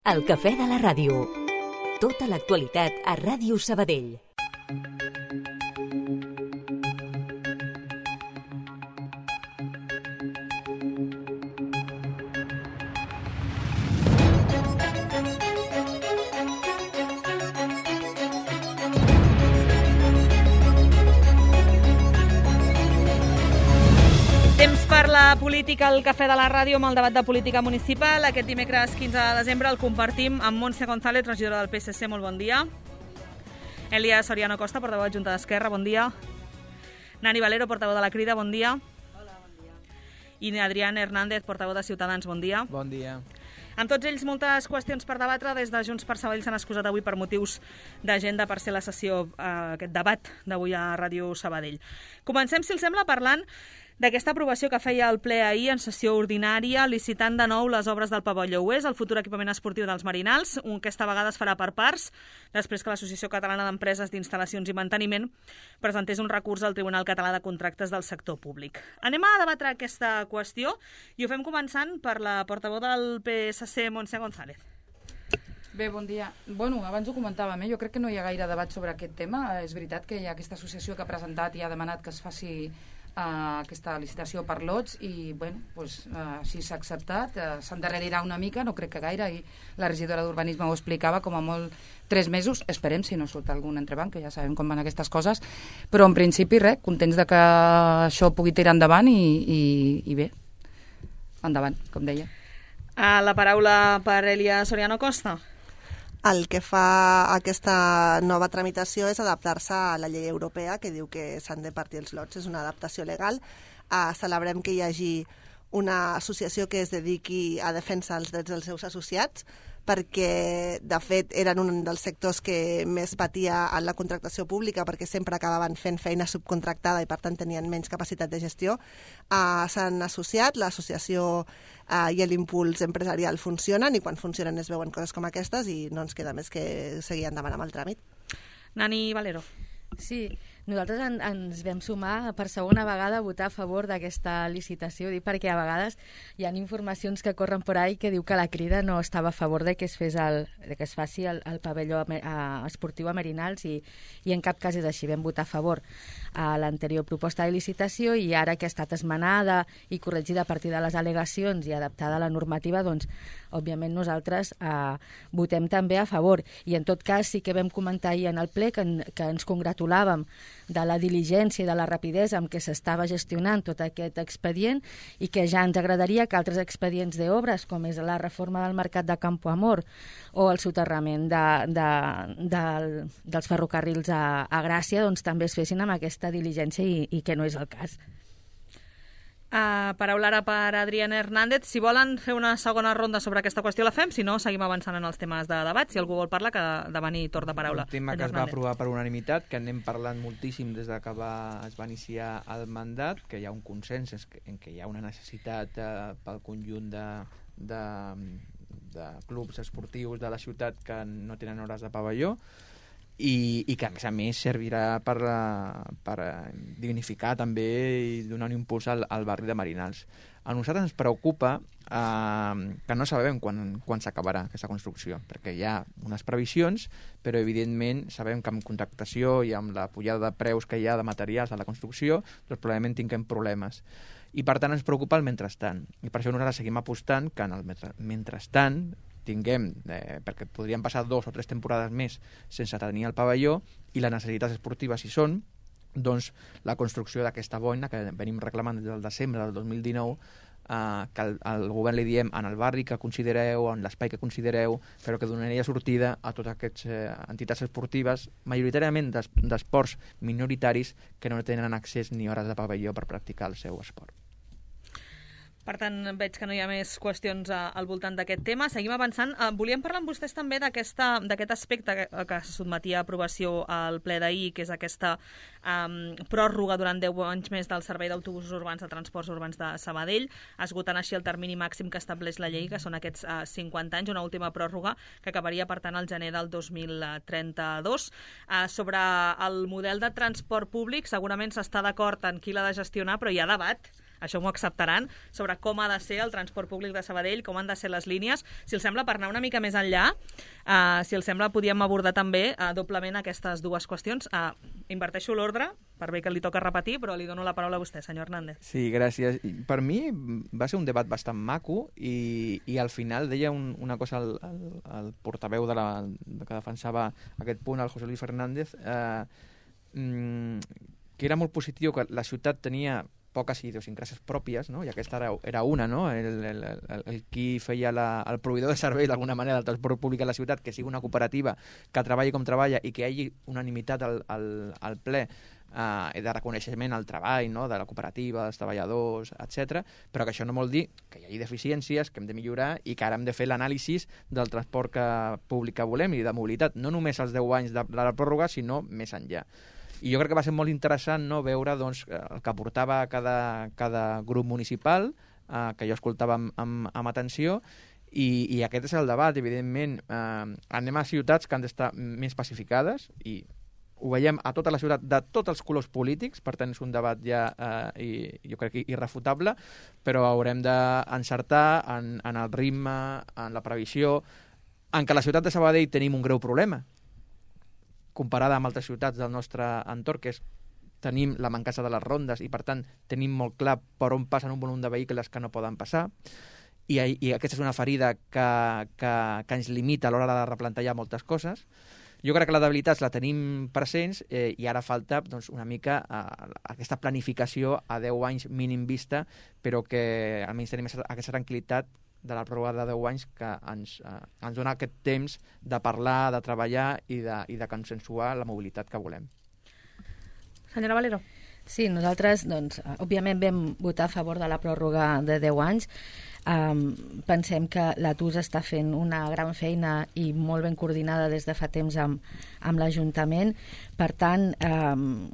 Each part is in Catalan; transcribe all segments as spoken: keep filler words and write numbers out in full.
El cafè de la ràdio. Tota l'actualitat a Ràdio Sabadell. Temps per la política al Cafè de la Ràdio amb el debat de política municipal. Aquest dimecres quinze de desembre el compartim amb Montse González, regidora del P S C. Molt bon dia. Elia Soriano Costa, portaveu de Junta d'Esquerra. Bon dia. Nani Valero, portaveu de la Crida. Bon dia. Hola, bon dia. I Adrián Hernández, portaveu de Ciutadans. Bon dia. Bon dia. Amb tots ells, moltes qüestions per debatre. Des de Junts per Sabadell s'han excusat avui per motius d'agenda per ser la sessió, eh, aquest debat d'avui a Ràdio Sabadell. Comencem, si els sembla, parlant d'aquesta aprovació que feia el ple ahir en sessió ordinària, licitant de nou les obres del pavelló Oest, el futur equipament esportiu dels Marinals, un que aquesta vegada es farà per parts, després que l'Associació Catalana d'Empreses d'Instal·lacions i Manteniment presentés un recurs al Tribunal Català de Contractes del Sector Públic. Anem a debatre aquesta qüestió i ho fem començant per la portaveu del P S C, Montse González. Bé, bon dia. Bueno, abans ho comentàvem, eh? Jo crec que no hi ha gaire debat sobre aquest tema. És veritat que hi ha aquesta associació que ha presentat i ha demanat que es faci Uh, aquesta licitació per lots i bueno, pues, uh, així s'ha acceptat, uh, s'endarrerirà una mica, no crec que gaire, i la regidora d'Urbanisme ho explicava, com a molt tres mesos, esperem si no surt algun entrebanc, que ja sabem com van aquestes coses, però en principi res, contents de que això pugui tirar endavant i, i, i bé, endavant, com deia. Uh, la paraula per Elia Soriano Costa. El que fa aquesta nova tramitació és adaptar-se a la llei europea que diu que s'han de partir els lots. És una adaptació legal. Uh, celebrem que hi hagi una associació que es dediqui a defensar els drets dels seus associats, perquè, de fet, eren un dels sectors que més patia en la contractació pública, perquè sempre acabaven fent feina subcontractada i, per tant, tenien menys capacitat de gestió. Uh, s'han associat, l'associació uh, i l'impuls empresarial funcionen, i quan funcionen es veuen coses com aquestes i no ens queda més que seguir endavant amb el tràmit. Nani Valero. Sí, nosaltres en, ens vam sumar per segona vegada a votar a favor d'aquesta licitació, dic perquè a vegades hi ha informacions que corren per ahí que diu que la Crida no estava a favor de que es, fes el, de que es faci el, el pavelló a, esportiu a Marinals i, i en cap cas és així. Vam votar a favor a l'anterior proposta de licitació i ara que ha estat esmenada i corregida a partir de les al·legacions i adaptada a la normativa, doncs, òbviament nosaltres eh, votem també a favor. I en tot cas sí que vam comentar ahir en el ple que, que ens congratulàvem de la diligència i de la rapidesa amb què s'estava gestionant tot aquest expedient i que ja ens agradaria que altres expedients d'obres, com és la reforma del mercat de Campo Amor o el soterrament de, de, de, dels ferrocarrils a, a Gràcia, doncs també es fessin amb aquesta diligència i, i que no és el cas. Uh, paraula ara per Adrián Hernández. Si volen fer una segona ronda sobre aquesta qüestió la fem, si no seguim avançant en els temes de debat. Si algú vol parlar, que demani torn de paraula. Un tema que es va aprovar per unanimitat, que anem parlant moltíssim des de que va, es va iniciar el mandat, que hi ha un consens en què hi ha una necessitat uh, pel conjunt de, de, de clubs esportius de la ciutat que no tenen hores de pavelló, I, i que a més a més servirà per, per dignificar també i donar un impuls al, al barri de Marinals. A nosaltres ens preocupa eh, que no sabem quan, quan s'acabarà aquesta construcció, perquè hi ha unes previsions, però evidentment sabem que amb contractació i amb la pujada de preus que hi ha de materials a la construcció, doncs probablement tinguem problemes. I per tant ens preocupa el mentrestant. I per això nosaltres seguim apostant que en el mentrestant tinguem, eh, perquè podrien passar dos o tres temporades més sense tenir el pavelló, i les necessitats esportives hi són, doncs la construcció d'aquesta boina que venim reclamant des del desembre del dos mil dinou, eh, que el, el govern li diem en el barri que considereu, en l'espai que considereu, però que donaria sortida a totes aquestes eh, entitats esportives, majoritàriament d'esports minoritaris, que no tenen accés ni hores de pavelló per practicar el seu esport. Per tant, veig que no hi ha més qüestions al voltant d'aquest tema. Seguim avançant. Volíem parlar amb vostès també d'aquest aspecte que, que se sotmetia a aprovació al ple d'ahir, que és aquesta um, pròrroga durant deu anys més del servei d'autobusos urbans de transports urbans de Sabadell, esgotant així el termini màxim que estableix la llei, que són aquests uh, cinquanta anys, una última pròrroga que acabaria, per tant, al gener del dos mil trenta-dos. Uh, sobre el model de transport públic, segurament s'està d'acord en qui l'ha de gestionar, però hi ha debat això m'ho acceptaran, sobre com ha de ser el transport públic de Sabadell, com han de ser les línies. Si els sembla, per anar una mica més enllà, uh, si els sembla, podíem abordar també uh, doblement aquestes dues qüestions. Uh, inverteixo l'ordre, per bé que li toca repetir, però li dono la paraula a vostè, senyor Hernández. Sí, gràcies. Per mi va ser un debat bastant maco i, i al final deia un, una cosa el, el, el portaveu de la, que defensava aquest punt, el José Luis Fernández, eh, que era molt positiu, que la ciutat tenia poques idiosincràsies pròpies, no? I aquesta era, era una, no? El, el, el, el qui feia la, el proveïdor de servei d'alguna manera del transport públic a la ciutat, que sigui una cooperativa que treballi com treballa i que hi hagi unanimitat al, al, al ple uh, de reconeixement al treball, no? De la cooperativa, dels treballadors, etcètera. Però que això no vol dir que hi hagi deficiències, que hem de millorar i que ara hem de fer l'anàlisi del transport que, públic que volem i de mobilitat, no només els deu anys de, de la pròrroga, sinó més enllà. I jo crec que va ser molt interessant, no, veure doncs, el que aportava cada, cada grup municipal, eh, que jo escoltava amb, amb, amb atenció, i, i aquest és el debat, evidentment. Eh, anem a ciutats que han d'estar més pacificades, i ho veiem a tota la ciutat de tots els colors polítics, per tant és un debat ja, eh, i, jo crec que irrefutable, però haurem d'encertar en, en el ritme, en la previsió, en què a la ciutat de Sabadell tenim un greu problema, comparada amb altres ciutats del nostre entorn, que és tenim la mancança de les rondes i, per tant, tenim molt clar per on passen un volum de vehicles que no poden passar. I, i aquesta és una ferida que, que, que ens limita a l'hora de replantejar moltes coses. Jo crec que les debilitats la tenim presents eh, i ara falta doncs, una mica eh, aquesta planificació a deu anys mínim vista, però que almenys tenim aquesta tranquil·litat de la pròrroga de deu anys que ens, eh, ens dona aquest temps de parlar, de treballar i de, i de consensuar la mobilitat que volem. Senyora Valero. Sí, nosaltres, doncs, òbviament vam votar a favor de la pròrroga de deu anys. Um, pensem que l'A T U S està fent una gran feina i molt ben coordinada des de fa temps amb, amb l'Ajuntament. Per tant, um,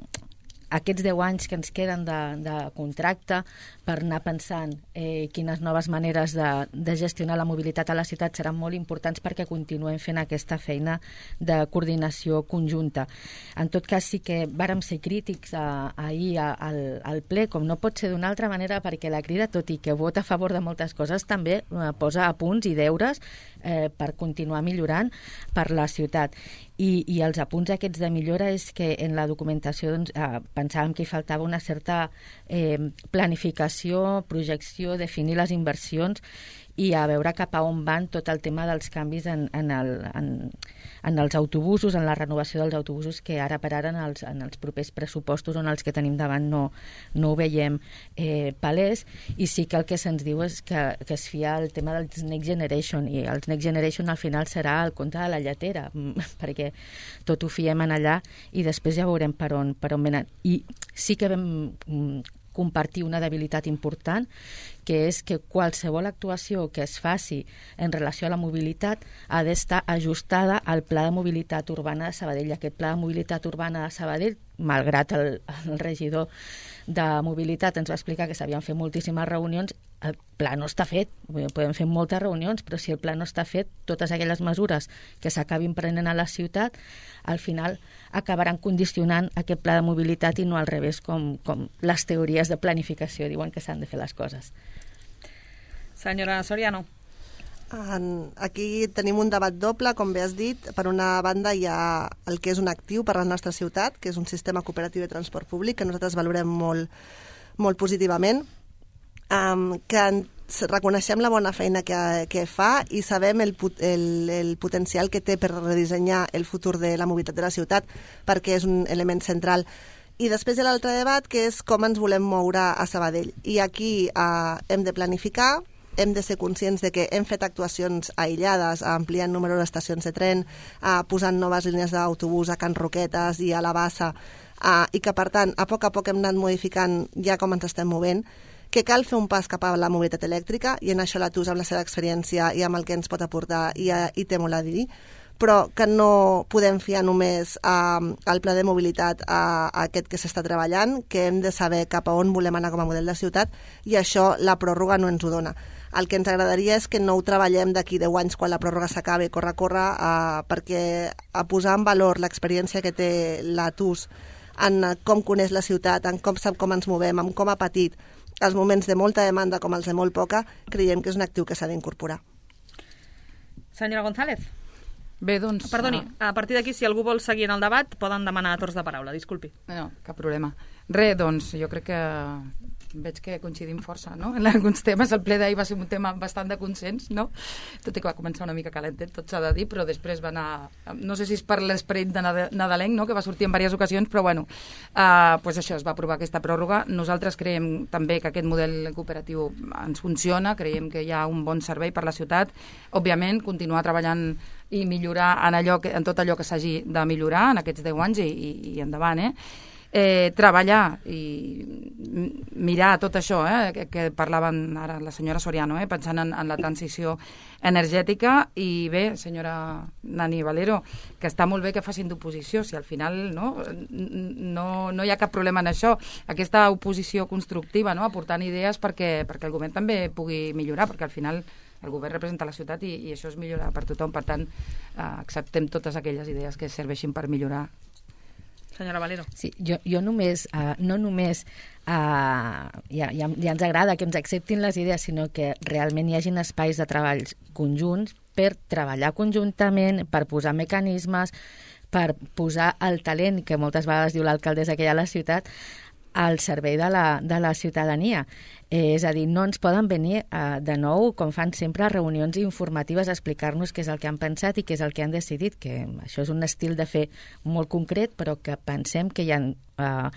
aquests deu anys que ens queden de, de contracte per anar pensant eh, quines noves maneres de, de gestionar la mobilitat a la ciutat seran molt importants perquè continuem fent aquesta feina de coordinació conjunta. En tot cas, sí que vàrem ser crítics a, ahir a, al, al ple, com no pot ser d'una altra manera, perquè la Crida, tot i que vota a favor de moltes coses, també eh, posa a punts i deures eh, per continuar millorant per la ciutat. I, i els apunts aquests de millora és que en la documentació doncs, eh, pensàvem que hi faltava una certa eh, planificació, projecció, definir les inversions i a veure cap a on van tot el tema dels canvis en, en, el, en, en els autobusos, en la renovació dels autobusos, que ara per ara en els, en els propers pressupostos on els que tenim davant no, no ho veiem eh, palès, i sí que el que se'ns diu és que, que es fia el tema dels Next Generation, i els Next Generation al final serà el conte de la lletera, perquè tot ho fiem en allà i després ja veurem per on, per on venen. I sí que vam compartir una debilitat important, que és que qualsevol actuació que es faci en relació a la mobilitat ha d'estar ajustada al Pla de Mobilitat Urbana de Sabadell. Aquest Pla de Mobilitat Urbana de Sabadell, malgrat el, el regidor de Mobilitat ens va explicar que s'havien fet moltíssimes reunions, el pla no està fet. Podem fer moltes reunions, però si el pla no està fet, totes aquelles mesures que s'acabin prenent a la ciutat, al final acabaran condicionant aquest pla de mobilitat i no al revés, com, com les teories de planificació diuen que s'han de fer les coses. Senyora Soriano. En, aquí tenim un debat doble, com bé has dit. Per una banda hi ha el que és un actiu per a la nostra ciutat, que és un sistema cooperatiu de transport públic, que nosaltres valorem molt, molt positivament, um, que en, reconeixem la bona feina que, que fa i sabem el, el, el potencial que té per redissenyar el futur de la mobilitat de la ciutat, perquè és un element central. I després hi ha l'altre debat, que és com ens volem moure a Sabadell. I aquí uh, hem de planificar, hem de ser conscients de que hem fet actuacions aïllades, ampliant número d'estacions de tren, eh, posant noves línies d'autobús a Can Roquetes i a la Bassa, eh, i que, per tant, a poc a poc hem anat modificant ja com ens estem movent, que cal fer un pas cap a la mobilitat elèctrica, i en això l'A T U S, amb la seva experiència i amb el que ens pot aportar, i, i té molt a dir, però que no podem fiar només eh, al pla de mobilitat a, a aquest que s'està treballant, que hem de saber cap a on volem anar com a model de ciutat, i això la pròrroga no ens ho dona. El que ens agradaria és que no ho treballem d'aquí deu anys quan la pròrroga s'acabi, corre, corre, eh, perquè a posar en valor l'experiència que té l'A T U S en com coneix la ciutat, en com sap com ens movem, en com ha patit els moments de molta demanda com els de molt poca, creiem que és un actiu que s'ha d'incorporar. Senyora González. Bé, doncs... Perdoni, a partir d'aquí, si algú vol seguir en el debat, poden demanar torns de paraula, disculpi. No, cap problema. Re, doncs, jo crec que veig que coincidim força, no?, en alguns temes. El ple d'ahir va ser un tema bastant de consens, no?, tot i que va començar una mica calentet, tot s'ha de dir, però després va anar... No sé si és per l'esperit de nadalenc, no?, que va sortir en diverses ocasions, però bueno, uh, pues això, es va aprovar aquesta pròrroga. Nosaltres creiem també que aquest model cooperatiu ens funciona, creiem que hi ha un bon servei per la ciutat. Òbviament, continuar treballant i millorar en, allò que, en tot allò que s'hagi de millorar en aquests deu anys i, i, i endavant, eh? Eh, treballar i mirar tot això, eh, que, que parlaven ara la senyora Soriano, eh, pensant en, en la transició energètica. I bé, senyora Nani Valero, que està molt bé que facin d'oposició, si al final no, no, no hi ha cap problema en això, aquesta oposició constructiva, no, aportant idees perquè, perquè el govern també pugui millorar, perquè al final el govern representa la ciutat i, i això és millorar per tothom. Per tant, eh, acceptem totes aquelles idees que serveixin per millorar. Senyora Valero. Sí, jo, jo només, uh, no només uh, ja, ja, ja ens agrada que ens acceptin les idees, sinó que realment hi hagin espais de treballs conjunts per treballar conjuntament, per posar mecanismes, per posar el talent, que moltes vegades diu l'alcaldessa que hi ha a la ciutat, al servei de la, de la ciutadania. Eh, és a dir, no ens poden venir eh, de nou, com fan sempre, a reunions informatives a explicar-nos què és el que han pensat i què és el que han decidit, que això és un estil de fer molt concret, però que pensem que hi ha eh,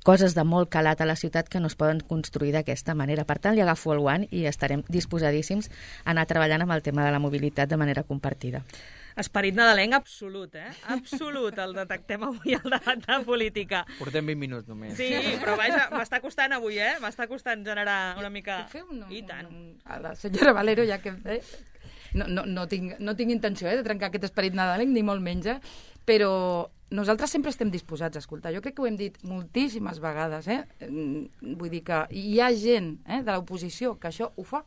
coses de molt calat a la ciutat que no es poden construir d'aquesta manera. Per tant, li agafo el guant i estarem disposadíssims a anar treballant amb el tema de la mobilitat de manera compartida. Esperit nadalenc absolut, eh? Absolut, el detectem avui al debat de política. Portem vint minuts només. Sí, però vaja, m'està costant avui, eh? M'està costant generar una mica... Puc fer un, I tant. Un, a la senyora Valero, ja que... Eh? No, no, no, tinc, no tinc intenció eh, de trencar aquest esperit nadalenc, ni molt menys, eh? Però nosaltres sempre estem disposats a escoltar. Jo crec que ho hem dit moltíssimes vegades, eh? Vull dir que hi ha gent eh, de l'oposició que això ho fa,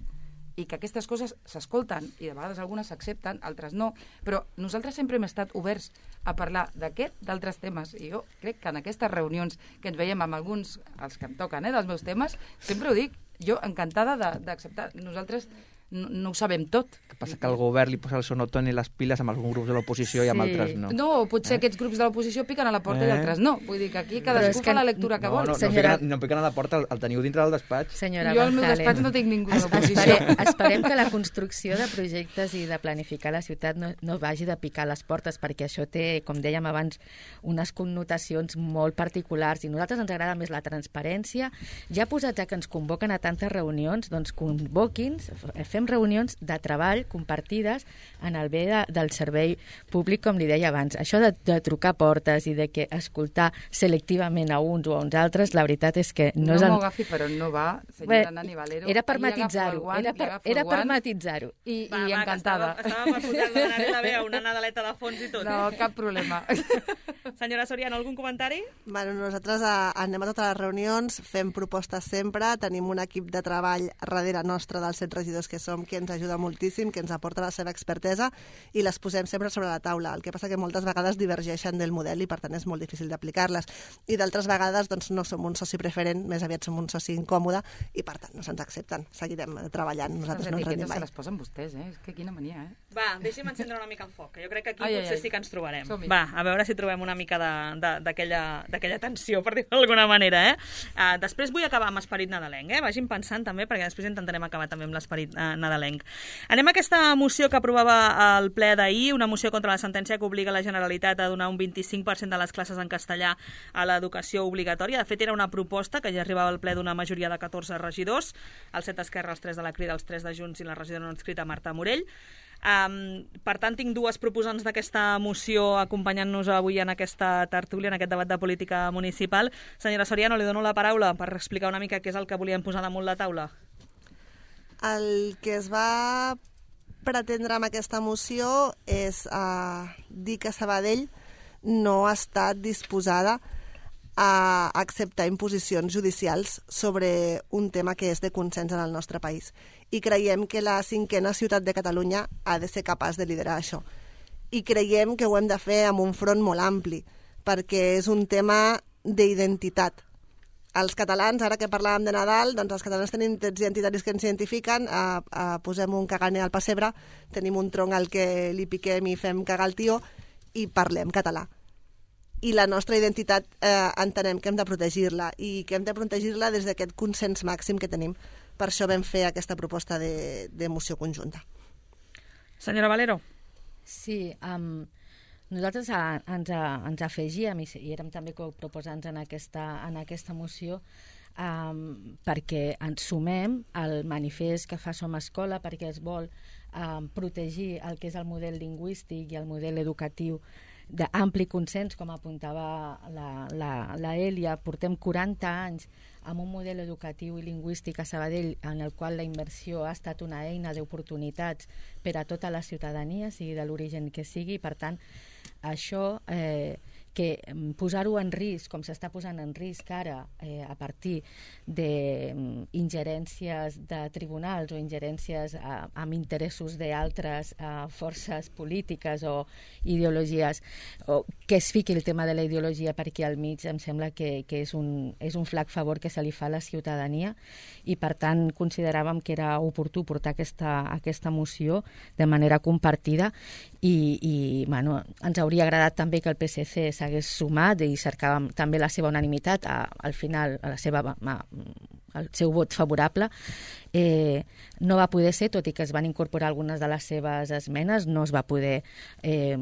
i que aquestes coses s'escolten, i de vegades algunes s'accepten, altres no, però nosaltres sempre hem estat oberts a parlar d'aquest, d'altres temes, i jo crec que en aquestes reunions que ens veiem amb alguns, els que em toquen, eh, dels meus temes, sempre ho dic, jo encantada d'acceptar. Nosaltres no, no ho sabem tot. El que passa que el govern li posa el sonotone i les piles amb alguns grups de l'oposició sí. i amb altres no. No, potser eh? aquests grups de l'oposició piquen a la porta eh? i altres no. Vull dir que aquí cadascú fa la lectura que no, vol. No, no, Senyora... no, piquen, no piquen a la porta, el, el teniu dintre del despatx. Senyora jo al meu González, despatx no tinc ningú de es, l'oposició. esperem, esperem que la construcció de projectes i de planificar la ciutat no, no vagi de picar les portes, perquè això té, com dèiem abans, unes connotacions molt particulars, i a nosaltres ens agrada més la transparència. Ja posats a que ens convoquen a tantes reunions, doncs convoqui'ns, fem reunions de treball compartides en el bé de, del servei públic, com li deia abans. Això de, de trucar portes i de que escoltar selectivament a uns o a uns altres, la veritat és que no, no és... No m'ho agafi, però no va, senyora Nani Valero. Era per matitzar-ho, era per, era per matitzar-ho. I, va, i va, encantada. Estava, estava per posar-li una nadaleta bé, una nadaleta de fons i tot. No, cap problema. Senyora Soriano, algun comentari? Bueno, nosaltres a, anem a totes les reunions, fem propostes sempre, tenim un equip de treball darrere nostre dels set regidors que som, que ens ajuda moltíssim, que ens aporta la seva expertesa, i les posem sempre sobre la taula. El que passa que moltes vegades divergeixen del model i per tant és molt difícil d'aplicar-les. I d'altres vegades doncs, no som un soci preferent, més aviat som un soci incòmode i per tant no se'ns accepten. Seguirem treballant, nosaltres les no ens rendim etiquetes mai. se les posen vostès, eh? És que quina mania, eh? Va, deixi'm encendre una mica el foc, que jo crec que aquí ai, potser ai, ai. sí que ens trobarem. Som-hi. Va, a veure si trobem una mica d'aquella tensió, per dir-ho d'alguna manera, eh? Uh, després vull acabar amb esperit nadalenc, eh? Vagin pensant també, perquè després intentarem acabar també amb l'esperit uh, nadalenc. Anem a aquesta moció que aprovava el ple d'ahir, una moció contra la sentència que obliga la Generalitat a donar un vint-i-cinc per cent de les classes en castellà a l'educació obligatòria. De fet, era una proposta que ja arribava al ple d'una majoria de catorze regidors, els set Esquerra, els tres de la Crida, els tres de Junts i la regidora no inscrita Marta Morell. Um, per tant, tinc dues proposants d'aquesta moció acompanyant-nos avui en aquesta tertúlia, en aquest debat de política municipal. Senyora Soriano, li dono la paraula per explicar una mica què és el que volien posar damunt la taula. El que es va pretendre amb aquesta moció és uh, dir que Sabadell no ha estat disposada a acceptar imposicions judicials sobre un tema que és de consens en el nostre país. I creiem que la cinquena ciutat de Catalunya ha de ser capaç de liderar això. I creiem que ho hem de fer amb un front molt ampli, perquè és un tema d'identitat. els catalans, ara que parlàvem de Nadal, doncs els catalans tenim trets identitaris que ens identifiquen, eh, eh, posem un caganer al pessebre, tenim un tronc al que li piquem i fem cagar el tio i parlem català. I la nostra identitat eh, entenem que hem de protegir-la i que hem de protegir-la des d'aquest consens màxim que tenim. Per això vam fer aquesta proposta de, de moció conjunta. Senyora Valero. Sí, um, nosaltres a, ens, a, ens afegíem i, i érem també coproposants en aquesta, en aquesta moció um, perquè ens sumem al manifest que fa Som Escola, perquè es vol um, protegir el que és el model lingüístic i el model educatiu d'ampli consens, com apuntava la, la, la Èlia. Portem quaranta anys amb un model educatiu i lingüístic a Sabadell en el qual la immersió ha estat una eina d'oportunitats per a tota la ciutadania, sigui de l'origen que sigui, i per tant això eh, que posar-ho en risc, com s'està posant en risc ara eh, a partir d'ingerències de tribunals o ingerències eh, amb interessos d'altres eh, forces polítiques o ideologies, o que es fiqui el tema de la ideologia per aquí al mig, em sembla que, que és, un, és un flac favor que se li fa a la ciutadania, i per tant consideràvem que era oportú portar aquesta, aquesta moció de manera compartida, i, i bueno, ens hauria agradat també que el P S C s'hagués sumat i cercàvem també la seva unanimitat, a, al final a la seva, a, el seu vot favorable. Eh, no va poder ser, tot i que es van incorporar algunes de les seves esmenes, no es va poder eh,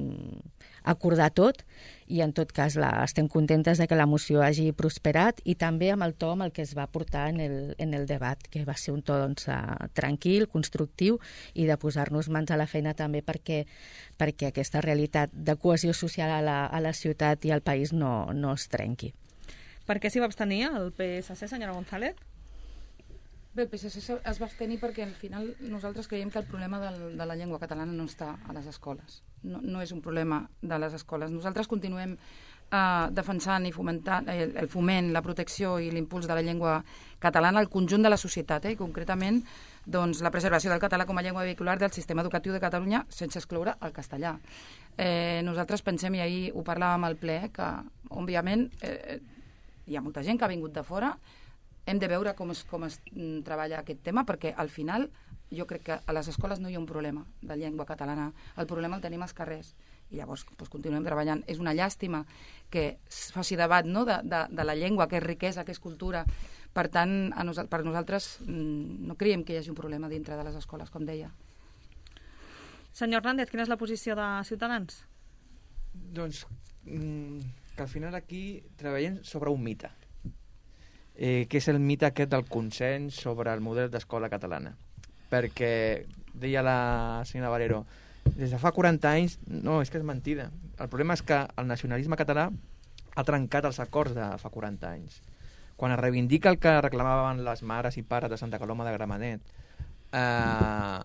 acordar tot, i en tot cas la, estem contentes de que la moció hagi prosperat, i també amb el to amb el que es va portar en el, en el debat, que va ser un to doncs, tranquil, constructiu, i de posar-nos mans a la feina també perquè, perquè aquesta realitat de cohesió social a la, a la ciutat i al país no, no es trenqui. Per què s'hi va abstenir el P S C, senyora González? Bé, el P S C es va abstenir perquè al final nosaltres creiem que el problema del, de la llengua catalana no està a les escoles. No, no és un problema de les escoles. Nosaltres continuem eh, defensant i fomentant el, el foment, la protecció i l'impuls de la llengua catalana al conjunt de la societat, eh, i concretament doncs, la preservació del català com a llengua vehicular del sistema educatiu de Catalunya sense excloure el castellà. Eh, nosaltres pensem, i ahir ho parlàvem al ple, que òbviament eh, hi ha molta gent que ha vingut de fora. Hem de veure com es, com es treballa aquest tema, perquè al final jo crec que a les escoles no hi ha un problema de llengua catalana, el problema el tenim als carrers, i llavors doncs, continuem treballant. És una llàstima que es faci debat, no?, de, de, de la llengua, que és riquesa, que és cultura. Per tant, a nos, per nosaltres no creiem que hi hagi un problema dintre de les escoles, com deia. Senyor Hernández, quina és la posició de Ciutadans? Doncs mm, que al final aquí treballem sobre un mite. Eh, que és el mite aquest del consens sobre el model d'escola catalana. Perquè, deia la senyora Valero, des de fa quaranta anys, no, és que és mentida. El problema és que el nacionalisme català ha trencat els acords de fa quaranta anys. Quan es reivindica el que reclamaven les mares i pares de Santa Coloma de Gramenet, eh,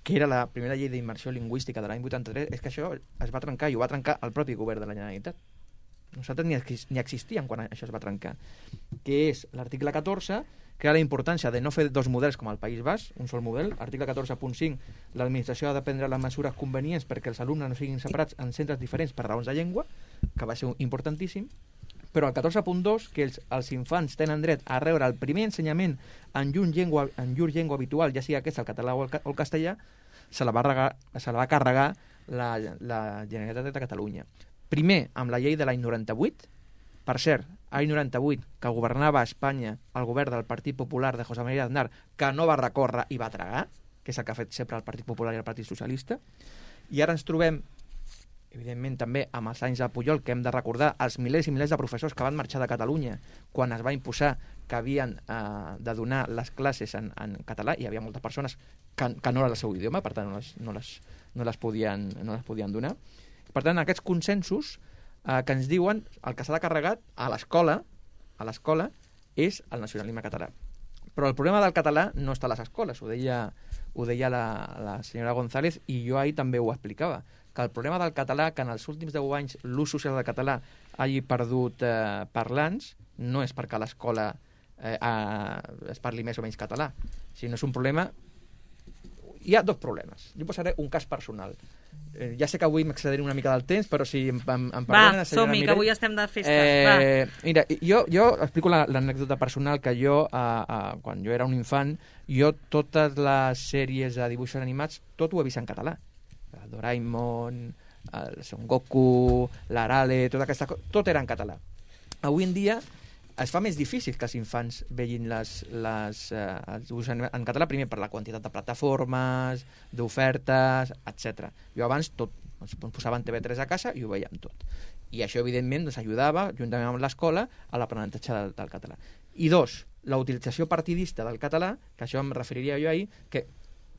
que era la primera llei d'immersió lingüística de l'any vuitanta-tres, és que això es va trencar, i ho va trencar el propi govern de la Generalitat. Nosaltres ni, ni existíem quan això es va trencar, que és l'article catorze, que era la importància de no fer dos models com al País Basc, un sol model. Article catorze punt cinc, l'administració ha de prendre les mesures convenients perquè els alumnes no siguin separats en centres diferents per raons de llengua, que va ser importantíssim, però el catorze punt dos, que els, els infants tenen dret a rebre el primer ensenyament en llur llengua, en llur llengua habitual, ja sigui aquesta, el català o el, o el castellà, se la va, regar, se la va carregar la, la Generalitat de Catalunya. Primer, amb la llei de l'any noranta-vuit, per cert, l'any noranta-vuit, que governava a Espanya el govern del Partit Popular de José María Aznar, que no va recórrer i va tragar, que és el que ha fet sempre el Partit Popular i el Partit Socialista, i ara ens trobem, evidentment també amb els anys de Pujol, que hem de recordar els milers i milers de professors que van marxar de Catalunya quan es va imposar que havien eh, de donar les classes en, en català, i hi havia moltes persones que, que no era el seu idioma, per tant no les, no les, no les, podien, no les podien donar. Per tant, aquests consensos eh, que ens diuen el que s'ha de carregar a l'escola a l'escola és el nacionalisme català. Però el problema del català no està a les escoles, ho deia, ho deia la, la senyora González, i jo ahir també ho explicava, que el problema del català, que en els últims deu anys l'ús social del català hagi perdut eh, parlants, no és perquè a l'escola eh, eh, es parli més o menys català, sinó és un problema... Hi ha dos problemes. Jo posaré un cas personal. Eh, ja sé que avui m'excediré una mica del temps, però si em, em, em perdonen... Va, som-hi, que avui estem de festa. Eh, Va. Mira, jo, jo explico l'anècdota personal que jo, eh, eh, quan jo era un infant, jo totes les sèries de dibuixos animats, tot ho he vist en català. El Doraemon, el Son Goku, l'Arale, tota aquesta cosa, tot era en català. Avui en dia es fa més difícil que els infants vegin les, les, eh, els dibuixos en català, primer per la quantitat de plataformes, d'ofertes, etcètera. Jo abans tot, ens posaven T V tres a casa i ho veiem tot. I això, evidentment, ens ajudava, juntament amb l'escola, a l'aprenentatge del, del català. I dos, la utilització partidista del català, que això em referiria jo ahir, que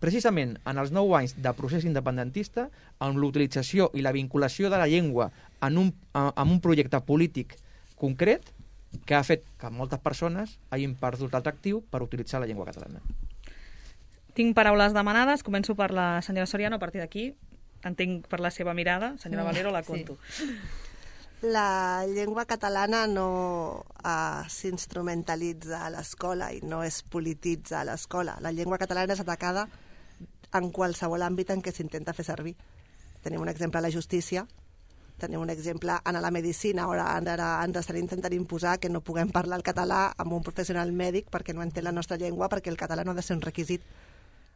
precisament en els nou anys de procés independentista, amb l'utilització i la vinculació de la llengua en un, en un projecte polític concret, que ha fet que moltes persones hagin perdut l'atractiu per utilitzar la llengua catalana. Tinc paraules demanades, començo per la senyora Soriano, a partir d'aquí entenc per la seva mirada, senyora Valero, la conto. Sí. La llengua catalana no uh, s'instrumentalitza a l'escola i no es polititza a l'escola. La llengua catalana és atacada en qualsevol àmbit en què s'intenta fer servir. Tenim un exemple a la justícia, tenim un exemple en la medicina, ara, ara ens estan intentant imposar que no puguem parlar el català amb un professional mèdic perquè no entén la nostra llengua, perquè el català no ha de ser un requisit,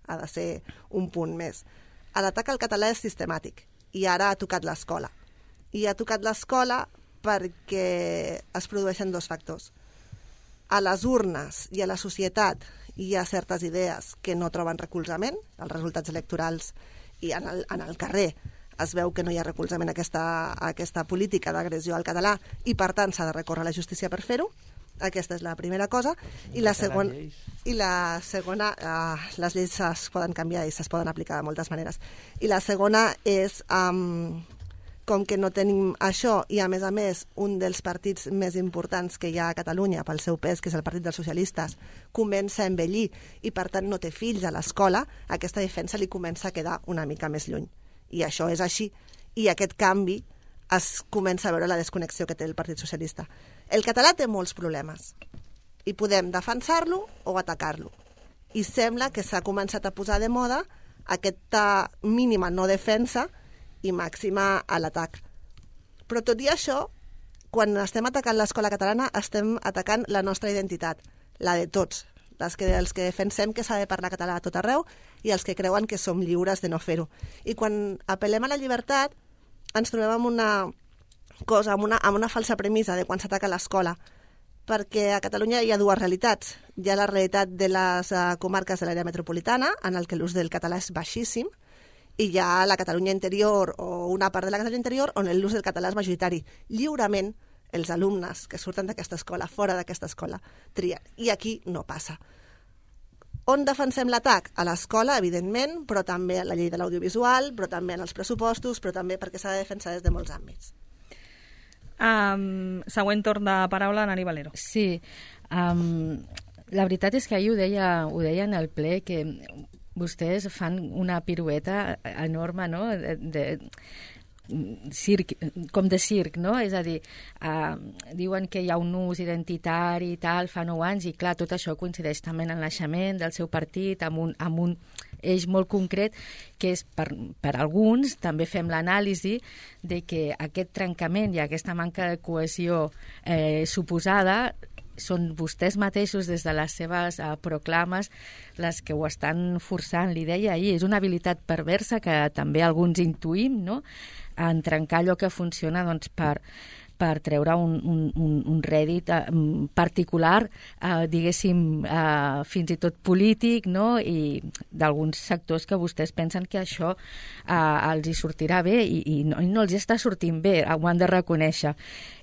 ha de ser un punt més. L'atac al català és sistemàtic i ara ha tocat l'escola. I ha tocat l'escola perquè es produeixen dos factors. A les urnes i a la societat hi ha certes idees que no troben recolzament, els resultats electorals i en el, en el carrer es veu que no hi ha recolzament a aquesta, a aquesta política d'agressió al català i, per tant, s'ha de recórrer a la justícia per fer-ho. Aquesta és la primera cosa. I la segona, i la segona uh, les lleis es poden canviar i es poden aplicar de moltes maneres. I la segona és, um, com que no tenim això i, a més a més, un dels partits més importants que hi ha a Catalunya pel seu pes, que és el Partit dels Socialistes, comença a envellir i, per tant, no té fills a l'escola, aquesta defensa li comença a quedar una mica més lluny. I això és així. I aquest canvi es comença a veure la desconnexió que té el Partit Socialista. El català té molts problemes i podem defensar-lo o atacar-lo. I sembla que s'ha començat a posar de moda aquesta mínima no defensa i màxima a l'atac. Però tot i això, quan estem atacant l'escola catalana, estem atacant la nostra identitat, la de tots, les que, els que defensem que s'ha de parlar català a tot arreu i els que creuen que som lliures de no fer-ho. I quan apel·lem a la llibertat, ens trobem amb una cosa, amb una, amb una falsa premissa de quan s'ataca l'escola, perquè a Catalunya hi ha dues realitats. Hi ha la realitat de les uh, comarques de l'àrea metropolitana, en el que l'ús del català és baixíssim, i hi ha la Catalunya interior o una part de la Catalunya interior on l'ús del català és majoritari. Lliurement, els alumnes que surten d'aquesta escola, fora d'aquesta escola, trien. I aquí no passa. On defensem l'atac? A l'escola, evidentment, però també a la llei de l'audiovisual, però també en els pressupostos, però també perquè s'ha de defensar des de molts àmbits. Um, següent torn de paraula, Nani Valero. Sí, um, la veritat és que ahir ho deia, ho deia en el ple, que vostès fan una pirueta enorme, no?, de... de circ, com de circ, no? És a dir, uh, diuen que hi ha un ús identitari i tal, fa nou anys, i clar, tot això coincideix també en el naixement del seu partit, amb un, amb un eix molt concret, que és per, per alguns, també fem l'anàlisi de que aquest trencament i aquesta manca de cohesió eh, suposada són vostès mateixos des de les seves uh, proclames les que ho estan forçant. Li deia ahir, és una habilitat perversa que també alguns intuïm, no?, en trencar allò que funciona, doncs, per, per treure un, un, un, un rèdit eh, particular, eh, diguéssim, eh, fins i tot polític, no?, i d'alguns sectors que vostès pensen que això eh, els hi sortirà bé i, i, no, i no els està sortint bé, ho han de reconèixer.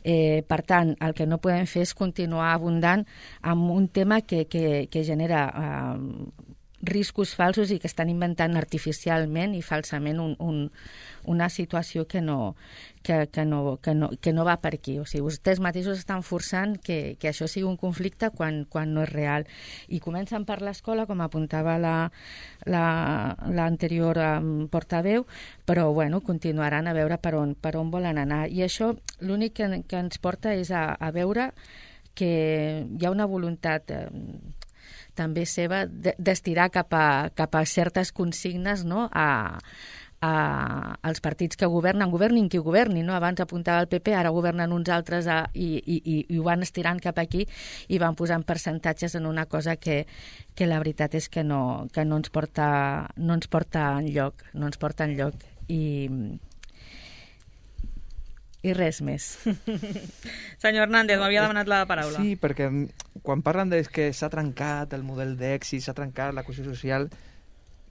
Eh, per tant, el que no podem fer és continuar abundant amb un tema que, que, que genera eh, riscos falsos i que estan inventant artificialment i falsament un, un, una situació que no, que, que, no, que, no, que no va per aquí. O sigui, vostès mateixos estan forçant que, que això sigui un conflicte quan, quan no és real. I comencen per l'escola, com apuntava la, la, l'anterior um, portaveu, però bueno, continuaran a veure per on, per on volen anar. I això l'únic que, que ens porta és a, a veure que hi ha una voluntat eh, també seva d'estirar cap a, cap a certes consignes, no?, a, a, als partits que governen, governin qui governi, no? Abans apuntava el P P, ara governen uns altres a, i, i, i ho van estirant cap aquí i van posant percentatges en una cosa que, que la veritat és que no, que no ens porta, no ens porta enlloc, no ens porta enlloc i, i res més. Senyor Hernández, m'havia demanat la paraula. Sí, perquè quan parlen de que s'ha trencat el model d'èxit, s'ha trencat la cohesió social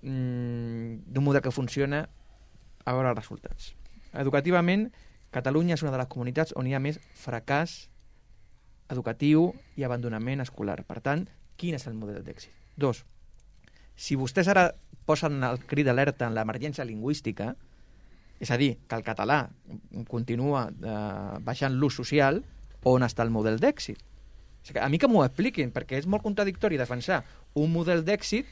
mmm, d'un model que funciona, a veure els resultats. Educativament, Catalunya és una de les comunitats on hi ha més fracàs educatiu i abandonament escolar. Per tant, quin és el model d'èxit? Dos, si vostès ara posen el crit d'alerta en l'emergència lingüística, és a dir, que el català continua eh, baixant l'ús social, on està el model d'èxit? O sigui, a mi que m'ho expliquin, perquè és molt contradictori defensar un model d'èxit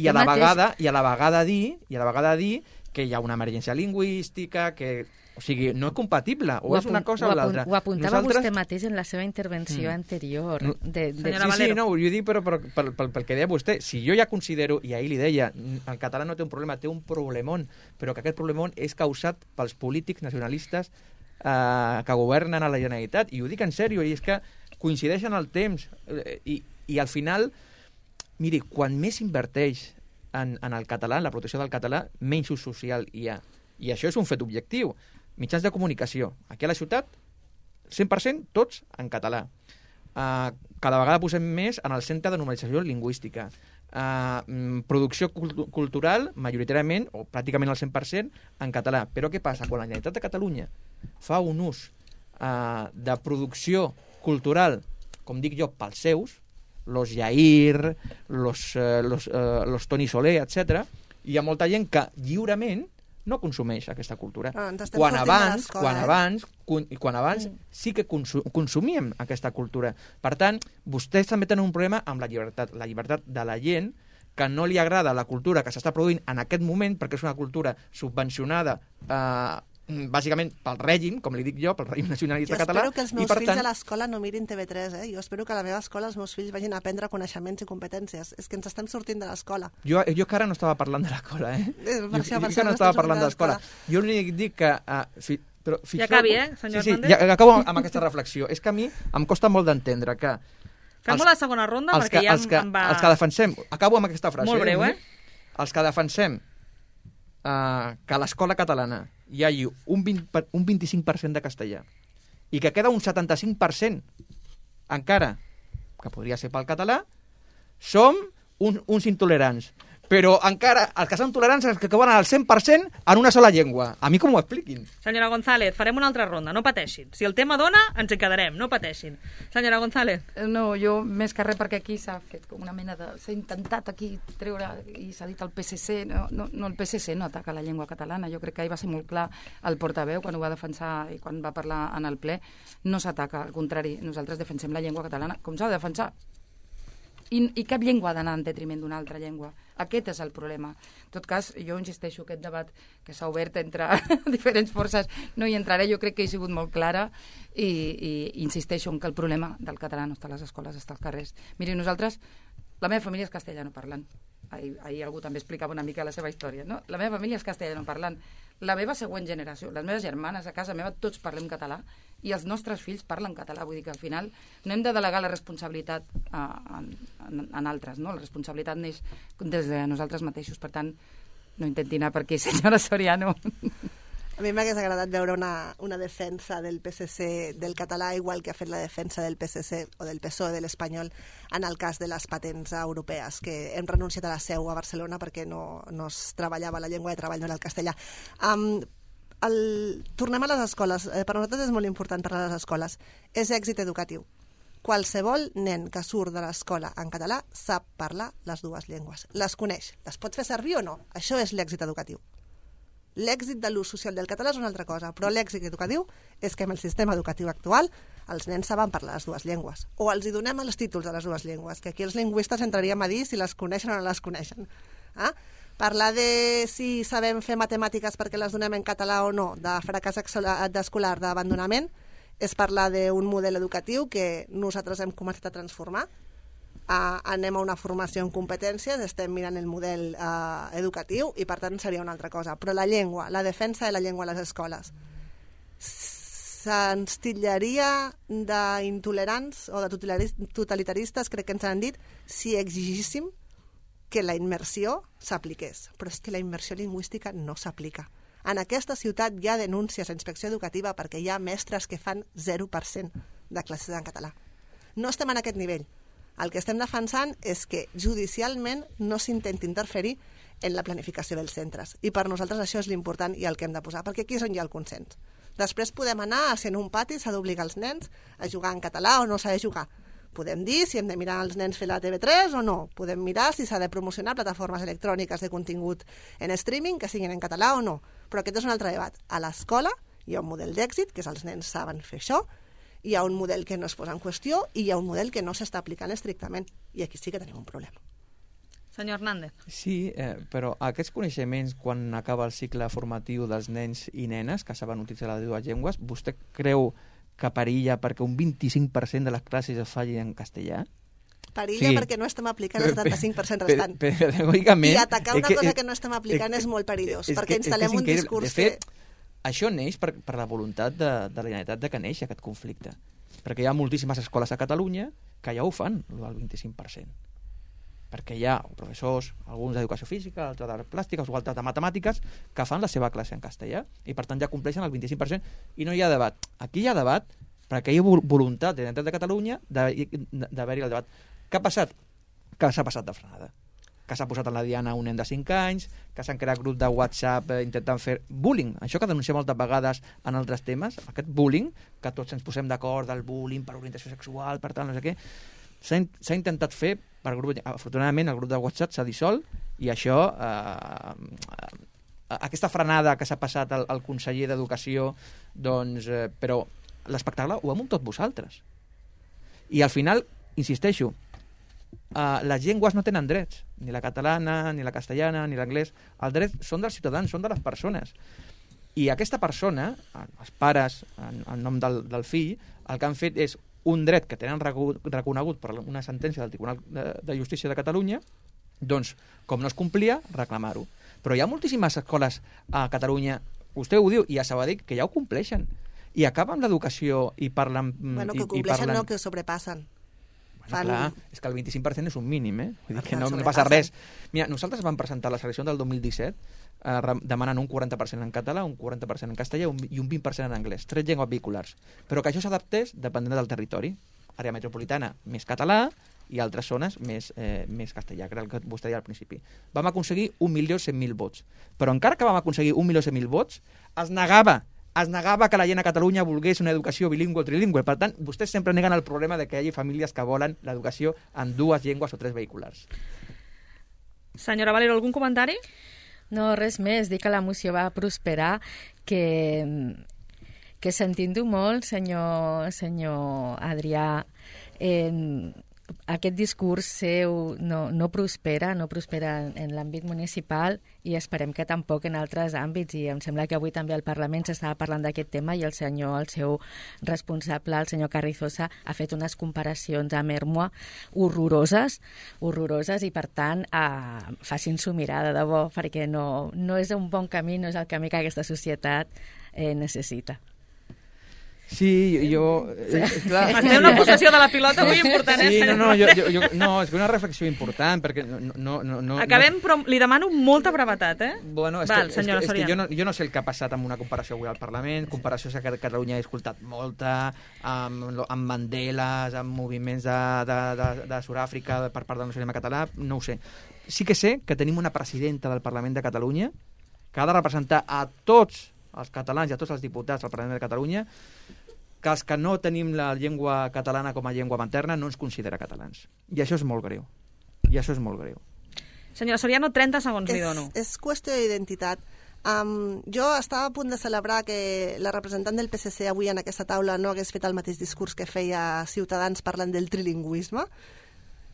i a la mateix... vegada i a la vegada dir i a la vegada dir que hi ha una emergència lingüística, que... O sigui, no és compatible, o, o és una cosa o l'altra. Ho apuntava Nosaltres... vostè mateix en la seva intervenció mm. anterior. De, de... Senyora sí, Valero. sí, no, ho dic però, però pel, pel, pel que deia vostè. Si jo ja considero, i ahir li deia, el català no té un problema, té un problemón, però que aquest problemón és causat pels polítics nacionalistes eh, que governen a la Generalitat. I ho dic en sèrio, i és que coincideixen el temps. Eh, i, I al final, miri, quan més inverteix en, en el català, en la protecció del català, menys ús social hi ha. I això és un fet objectiu. Mitjans de comunicació. Aquí a la ciutat, cent per cent tots en català. Uh, cada vegada posem més en el centre de normalització lingüística. Uh, producció cult cultural, majoritàriament, o pràcticament el cent per cent, en català. Però què passa? Quan la Generalitat de Catalunya fa un ús uh, de producció cultural, com dic jo, pels seus, los Jair, los, uh, los, uh, los Toni Soler, etcètera, hi ha molta gent que lliurement no consumeix aquesta cultura. Ah, quan abans, quan eh? abans, quan, quan abans mm. sí que consu consumíem aquesta cultura. Per tant, vostès també tenen un problema amb la llibertat, la llibertat de la gent que no li agrada la cultura que s'està produint en aquest moment, perquè és una cultura subvencionada eh, bàsicament pel règim, com li dic jo, pel règim nacionalista català. Jo espero que els meus i, per fills tant... a l'escola no mirin T V tres, eh? Jo espero que a la meva escola els meus fills vagin a aprendre coneixements i competències. És que ens estem sortint de l'escola. Jo, jo que ara no estava parlant de l'escola, eh? Per jo, això, jo, per jo que no estava parlant de l'escola. Jo l'únic dic que... Uh, fi, però, ja acabi, eh, senyor sí, sí, Hernández? Ja acabo amb aquesta reflexió. És que a mi em costa molt d'entendre que... Fem-ho la segona ronda, els perquè que, ja els que, em va... Els que defensem... Acabo amb aquesta frase. Molt breu, eh? Els que defensem uh, que a l'escola catalana hi hagi un, vint, un vint-i-cinc per cent de castellà i que queda un setanta-cinc per cent encara, que podria ser pel català, som un, uns intolerants. Però encara els que són tolerants els que acaben al cent per cent en una sola llengua. A mi com ho expliquin? Senyora González, farem una altra ronda, no pateixin. Si el tema dona, ens hi quedarem, no pateixin. Senyora González. No, jo més que res perquè aquí s'ha fet com una mena de... S'ha intentat aquí treure, i s'ha dit el P S C, no, no, no, el P S C no ataca la llengua catalana. Jo crec que ahir va ser molt clar el portaveu quan ho va defensar i quan va parlar en el ple. No s'ataca, al contrari, nosaltres defensem la llengua catalana com s'ha de defensar. I, i cap llengua ha d'anar en detriment d'una altra llengua. Aquest és el problema. En tot cas, jo insisteixo, aquest debat que s'ha obert entre diferents forces, no hi entraré, jo crec que he sigut molt clara i, i insisteixo en que el problema del català no està a les escoles, està als carrers. Miri, nosaltres, la meva família és castellanoparlant. Ahir, ahir algú també explicava una mica la seva història, no? La meva família és castellanoparlant. La meva següent generació, les meves germanes a casa meva, tots parlem català i els nostres fills parlen català. Vull dir que al final no hem de delegar la responsabilitat a, a, en altres, no? La responsabilitat neix des de nosaltres mateixos. Per tant, no intenti anar per aquí, senyora Soriano. A mi m'hagués agradat veure una, una defensa del P S C del català, igual que ha fet la defensa del P S C o del P S O E de l'espanyol en el cas de les patents europees, que hem renunciat a la seu a Barcelona perquè no, no es treballava la llengua de treball, no era el castellà. Um, el, tornem a les escoles. Eh, per nosaltres és molt important parlar de les escoles. És èxit educatiu. Qualsevol nen que surt de l'escola en català sap parlar les dues llengües. Les coneix. Les pot fer servir o no? Això és l'èxit educatiu. L'èxit de l'ús social del català és una altra cosa, però l'èxit educatiu és que amb el sistema educatiu actual els nens saben parlar les dues llengües. O els hi donem els títols de les dues llengües, que aquí els lingüistes entraríem a dir si les coneixen o no les coneixen. Ah? Parlar de si sabem fer matemàtiques perquè les donem en català o no, de fracàs escolar, d'abandonament, és parlar d'un model educatiu que nosaltres hem començat a transformar Uh, anem a una formació en competències, estem mirant el model uh, educatiu i per tant seria una altra cosa. Però la llengua, la defensa de la llengua a les escoles, se'ns titllaria d'intolerants o de totalitaristes, crec que ens han dit, si exigíssim que la immersió s'apliqués. Però és que la immersió lingüística no s'aplica. En aquesta ciutat hi ha denúncies a inspecció educativa perquè hi ha mestres que fan zero per cent de classes en català. No estem en aquest nivell. El que estem defensant és que judicialment no s'intenti interferir en la planificació dels centres. I per nosaltres això és l'important i el que hem de posar, perquè aquí és on hi ha el consens. Després podem anar a si en un pati s'ha d'obligar els nens a jugar en català o no s'ha de jugar. Podem dir si hem de mirar els nens fer la T V tres o no. Podem mirar si s'ha de promocionar plataformes electròniques de contingut en streaming que siguin en català o no. Però aquest és un altre debat. A l'escola hi ha un model d'èxit, que és els nens saben fer això, hi ha un model que no es posa en qüestió i hi ha un model que no s'està aplicant estrictament. I aquí sí que tenim un problema. Senyor Hernández. Sí, eh, però aquests coneixements, quan acaba el cicle formatiu dels nens i nenes que saben utilitzar les dues llengües, vostè creu que perilla perquè un vint-i-cinc per cent de les classes es facin en castellà? Perilla sí. Perquè no estem aplicant el setanta-cinc per cent restant. Pedagògicament... I atacar una que, cosa que no estem aplicant és, és molt perillós, és perquè que, instal·lem un discurs de fet, que... Això neix per, per la voluntat de, de la Generalitat de que neix aquest conflicte. Perquè hi ha moltíssimes escoles a Catalunya que ja ho fan, el vint-i-cinc per cent. Perquè hi ha professors, alguns d'educació física, altres de plàstiques o altres de matemàtiques, que fan la seva classe en castellà i per tant ja compleixen el vint-i-cinc per cent i no hi ha debat. Aquí hi ha debat perquè hi ha voluntat de la Generalitat de Catalunya d'haver-hi el debat. Què ha passat? Que s'ha passat de frenada. Que s'ha posat en la diana un nen de cinc anys, que s'han creat grups de WhatsApp eh, intentant fer bullying. Això que denunciem moltes vegades en altres temes, aquest bullying, que tots ens posem d'acord del bullying per orientació sexual, per tant, no sé què, s'ha in intentat fer per grup. Afortunadament, el grup de WhatsApp s'ha dissolt i això, eh, eh, aquesta frenada que s'ha passat al, al conseller d'Educació, doncs, eh, però l'espectacle ho hem tot vosaltres. I al final, insisteixo, Uh, les llengües no tenen drets, ni la catalana, ni la castellana, ni l'anglès. Els drets són dels ciutadans, són de les persones. I aquesta persona, els pares, en, en nom del, del fill, el que han fet és un dret que tenen reconegut per una sentència del Tribunal de, de Justícia de Catalunya, doncs, com no es complia, reclamar-ho. Però hi ha moltíssimes escoles a Catalunya, vostè ho diu, i a Sabadell, que ja ho compleixen. I acaben l'educació i parlen... Bueno, que i, compleixen i parlen... no, que sobrepassen. Fan... Clar, és que el vint-i-cinc per cent és un mínim, eh? Vull dir que no, no passa res. Mira, nosaltres vam presentar les eleccions del dos mil disset eh, demanant un quaranta per cent en català, un quaranta per cent en castellà un, i un vint per cent en anglès, tres llengües vehiculars. Però que això s'adaptés depenent del territori. Àrea metropolitana més català i altres zones més, eh, més castellà, que era el que vostè deia al principi. Vam aconseguir un milió cent mil vots. Però encara que vam aconseguir un milió cent mil vots, es negava es negava que la gent a Catalunya volgués una educació bilingüe o trilingüe. Per tant, vostès sempre neguen el problema de que hi hagi famílies que volen l'educació en dues llengües o tres vehiculars. Senyora Valero, algun comentari? No, res més. Dic que la moció va prosperar, que, que sentint-ho molt, senyor, senyor Adrià, eh, aquest discurs seu no, no prospera, no prospera en, en l'àmbit municipal i esperem que tampoc en altres àmbits, i em sembla que avui també al Parlament s'estava parlant d'aquest tema i el senyor, el seu responsable, el senyor Carrizosa, ha fet unes comparacions amb Ermua horroroses, horroroses i per tant eh, facin-s'ho mirar de debò, perquè no, no és un bon camí, no és el camí que aquesta societat eh, necessita. Sí, jo... Eh, clar, Té una possessió de la pilota avui important, eh? Sí, no, no, jo, jo, jo, no, és una reflexió important, perquè no... no, no, no Acabem, no... però li demano molta brevetat, eh? Bueno, és Val, que, senyora és que, és que jo, no, jo no sé el que ha passat amb una comparació avui al Parlament, comparacions que Catalunya he escoltat molta, amb, amb Mandeles, amb moviments de, de, de, de Sud-àfrica per part del nacionalisme català, no ho sé. Sí que sé que tenim una presidenta del Parlament de Catalunya que ha de representar a tots els catalans i a tots els diputats del Parlament de Catalunya, que els que no tenim la llengua catalana com a llengua materna no ens considera catalans. I això és molt greu. I això és molt greu. Senyora Soriano, trenta segons li dono. És, és qüestió d'identitat. Um, jo estava a punt de celebrar que la representant del P S C avui en aquesta taula no hagués fet el mateix discurs que feia Ciutadans parlant del trilingüisme,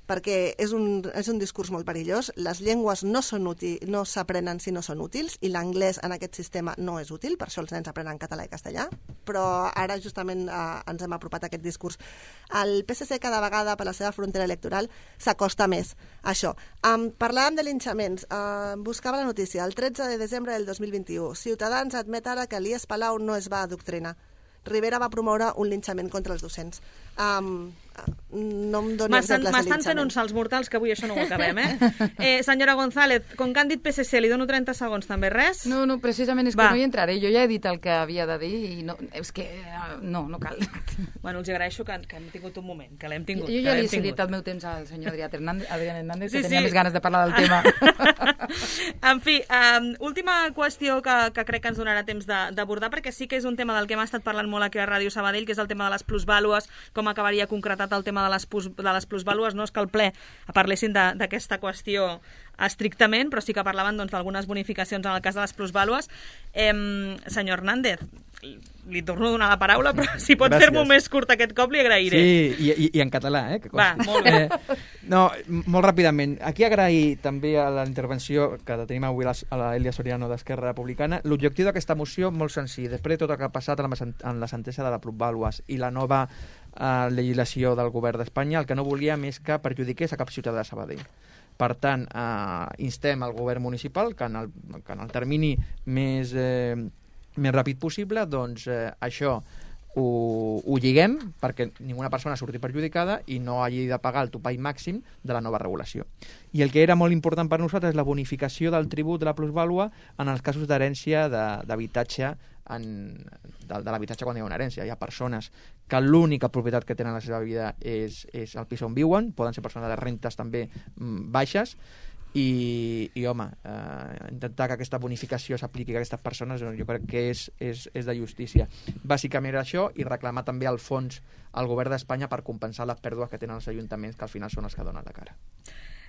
perquè és un, és un discurs molt perillós. Les llengües no són útil, no s'aprenen si no són útils, i l'anglès en aquest sistema no és útil, per això els nens aprenen català i castellà, però ara justament eh, ens hem apropat a aquest discurs. El P S C cada vegada, per la seva frontera electoral, s'acosta més a això. Um, parlàvem de linxaments. Uh, buscava la notícia. El tretze de desembre del dos mil vint-i-u, Ciutadans admet ara que l'I E S Palau no es va adoctrinar. Rivera va promoure un linxament contra els docents. Um, no em doni exemples de linxament. M'estan fent uns salts mortals que avui això no ho acabem, eh? eh senyora González, com que han dit P S C, li dono trenta segons, també res? No, no, precisament és que va. No hi entraré. Jo ja he dit el que havia de dir i no, és que no, no cal. Bueno, els agraeixo que, que hem tingut un moment, que l'hem tingut. Jo ja li he cedit el meu temps al senyor Adrià Hernández, Adrià Hernández sí, que tenia sí. més ganes de parlar del tema. En fi, um, última qüestió que, que crec que ens donarà temps d'abordar, perquè sí que és un tema del que hem estat parlant molt aquí a Ràdio Sabadell, que és el tema de les plusvàlues, com acabaria concretat el tema de les, plus, de les plusvàlues. No és que al ple parlessin d'aquesta qüestió estrictament, però sí que parlaven doncs, d'algunes bonificacions en el cas de les plusvàlues. Eh, senyor Hernández, li torno a donar la paraula, però si pot fer-m'ho més curt aquest cop li agrairé. Sí, i, i, i en català, eh? Que va, molt bé. Eh, no, molt ràpidament. Aquí agrair també a la intervenció que tenim avui a l'Elia Soriano d'Esquerra Republicana. L'objectiu d'aquesta moció, molt senzill. Després de tot el que ha passat en la sentència de la plusvàlues i la nova eh, legislació del govern d'Espanya, el que no volíem és que perjudiqués a cap ciutadà de Sabadell. Per tant, eh, instem al govern municipal que en el, que en el termini més... Eh, més ràpid possible, doncs eh, això ho, ho lliguem perquè ninguna persona surti perjudicada i no hagi de pagar el topall màxim de la nova regulació. I el que era molt important per nosaltres és la bonificació del tribut de la plusvàlua en els casos d'herència d'habitatge en, de, de l'habitatge quan hi ha una herència. Hi ha persones que l'única propietat que tenen a la seva vida és, és el pis on viuen, poden ser persones de rentes també mm, baixes, I, i home, eh, intentar que aquesta bonificació s'apliqui a aquestes persones jo crec que és, és, és de justícia. Bàsicament era això, i reclamar també el fons al govern d'Espanya per compensar les pèrdues que tenen els ajuntaments, que al final són els que donen la cara.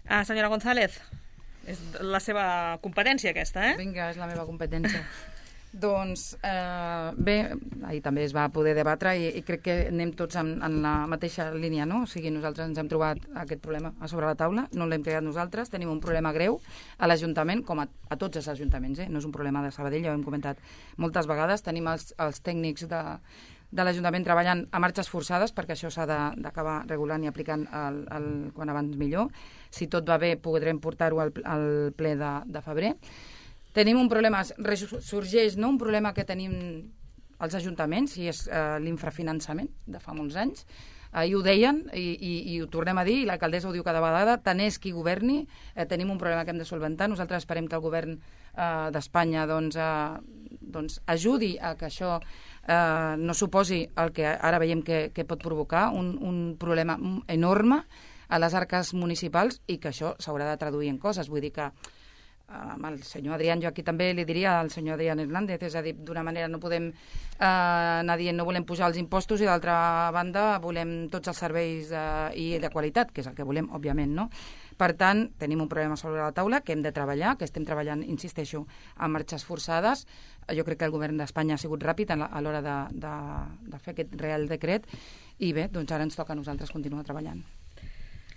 Ah, senyora González, és la seva competència aquesta, eh? Vinga, és la meva competència. Doncs eh, bé, ahir també es va poder debatre i, i crec que anem tots en, en la mateixa línia, no? O sigui, nosaltres ens hem trobat aquest problema a sobre la taula, no l'hem creat nosaltres, tenim un problema greu a l'Ajuntament, com a, a tots els ajuntaments, eh? No és un problema de Sabadell, ja ho hem comentat moltes vegades, tenim els, els tècnics de, de l'Ajuntament treballant a marxes forçades, perquè això s'ha d'acabar regulant i aplicant el, el, quan abans millor. Si tot va bé, podrem portar-ho al, al ple de, de febrer. Tenim un problema, sorgeix no? un problema que tenim els ajuntaments, i és eh, l'infrafinançament de fa molts anys. Ahir ho deien i, i, i ho tornem a dir, i l'alcaldessa ho diu cada vegada, tant és qui governi, eh, tenim un problema que hem de solventar. Nosaltres esperem que el govern eh, d'Espanya doncs, eh, doncs ajudi a que això eh, no suposi el que ara veiem que, que pot provocar, un, un problema enorme a les arques municipals, i que això s'haurà de traduir en coses. Vull dir que amb el senyor Adrián, jo aquí també li diria al senyor Adrián Hernández, és a dir, d'una manera no podem eh, anar dient no volem pujar els impostos i d'altra banda volem tots els serveis eh, i de qualitat, que és el que volem, òbviament, no? Per tant, tenim un problema sobre la taula que hem de treballar, que estem treballant, insisteixo, a marxes forçades. Jo crec que el govern d'Espanya ha sigut ràpid a l'hora de, de, de fer aquest Real Decret, i bé, doncs ara ens toca a nosaltres continuar treballant.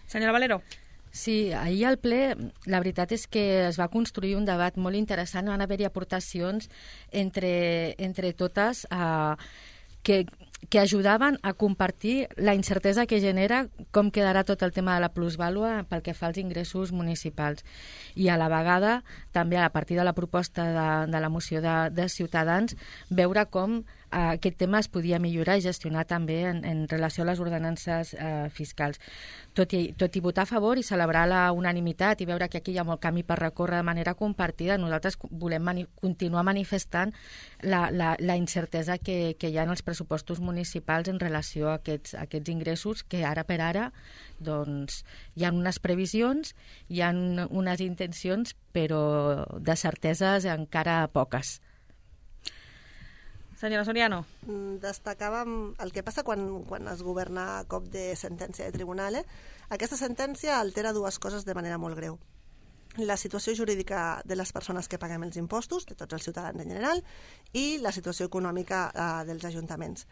Senyora Valero. Sí, ahir al ple la veritat és que es va construir un debat molt interessant, van haver-hi aportacions entre, entre totes eh, que, que ajudaven a compartir la incertesa que genera com quedarà tot el tema de la plusvàlua pel que fa als ingressos municipals. I a la vegada, també a partir de la proposta de, de la moció de, de Ciutadans, veure com eh, aquest tema es podia millorar i gestionar també en, en relació a les ordenances eh, fiscals. Tot i, tot i votar a favor i celebrar la unanimitat i veure que aquí hi ha molt camí per recórrer de manera compartida, nosaltres volem mani continuar manifestant la, la, la incertesa que, que hi ha en els pressupostos municipals en relació a aquests, a aquests ingressos que ara per ara doncs, hi ha unes previsions, hi ha unes intencions, però de certeses encara poques. Senyora Soriano. Destacàvem el que passa quan, quan es governa a cop de sentència de tribunal. Eh? Aquesta sentència altera dues coses de manera molt greu. La situació jurídica de les persones que paguem els impostos, de tots els ciutadans en general, i la situació econòmica eh, dels ajuntaments.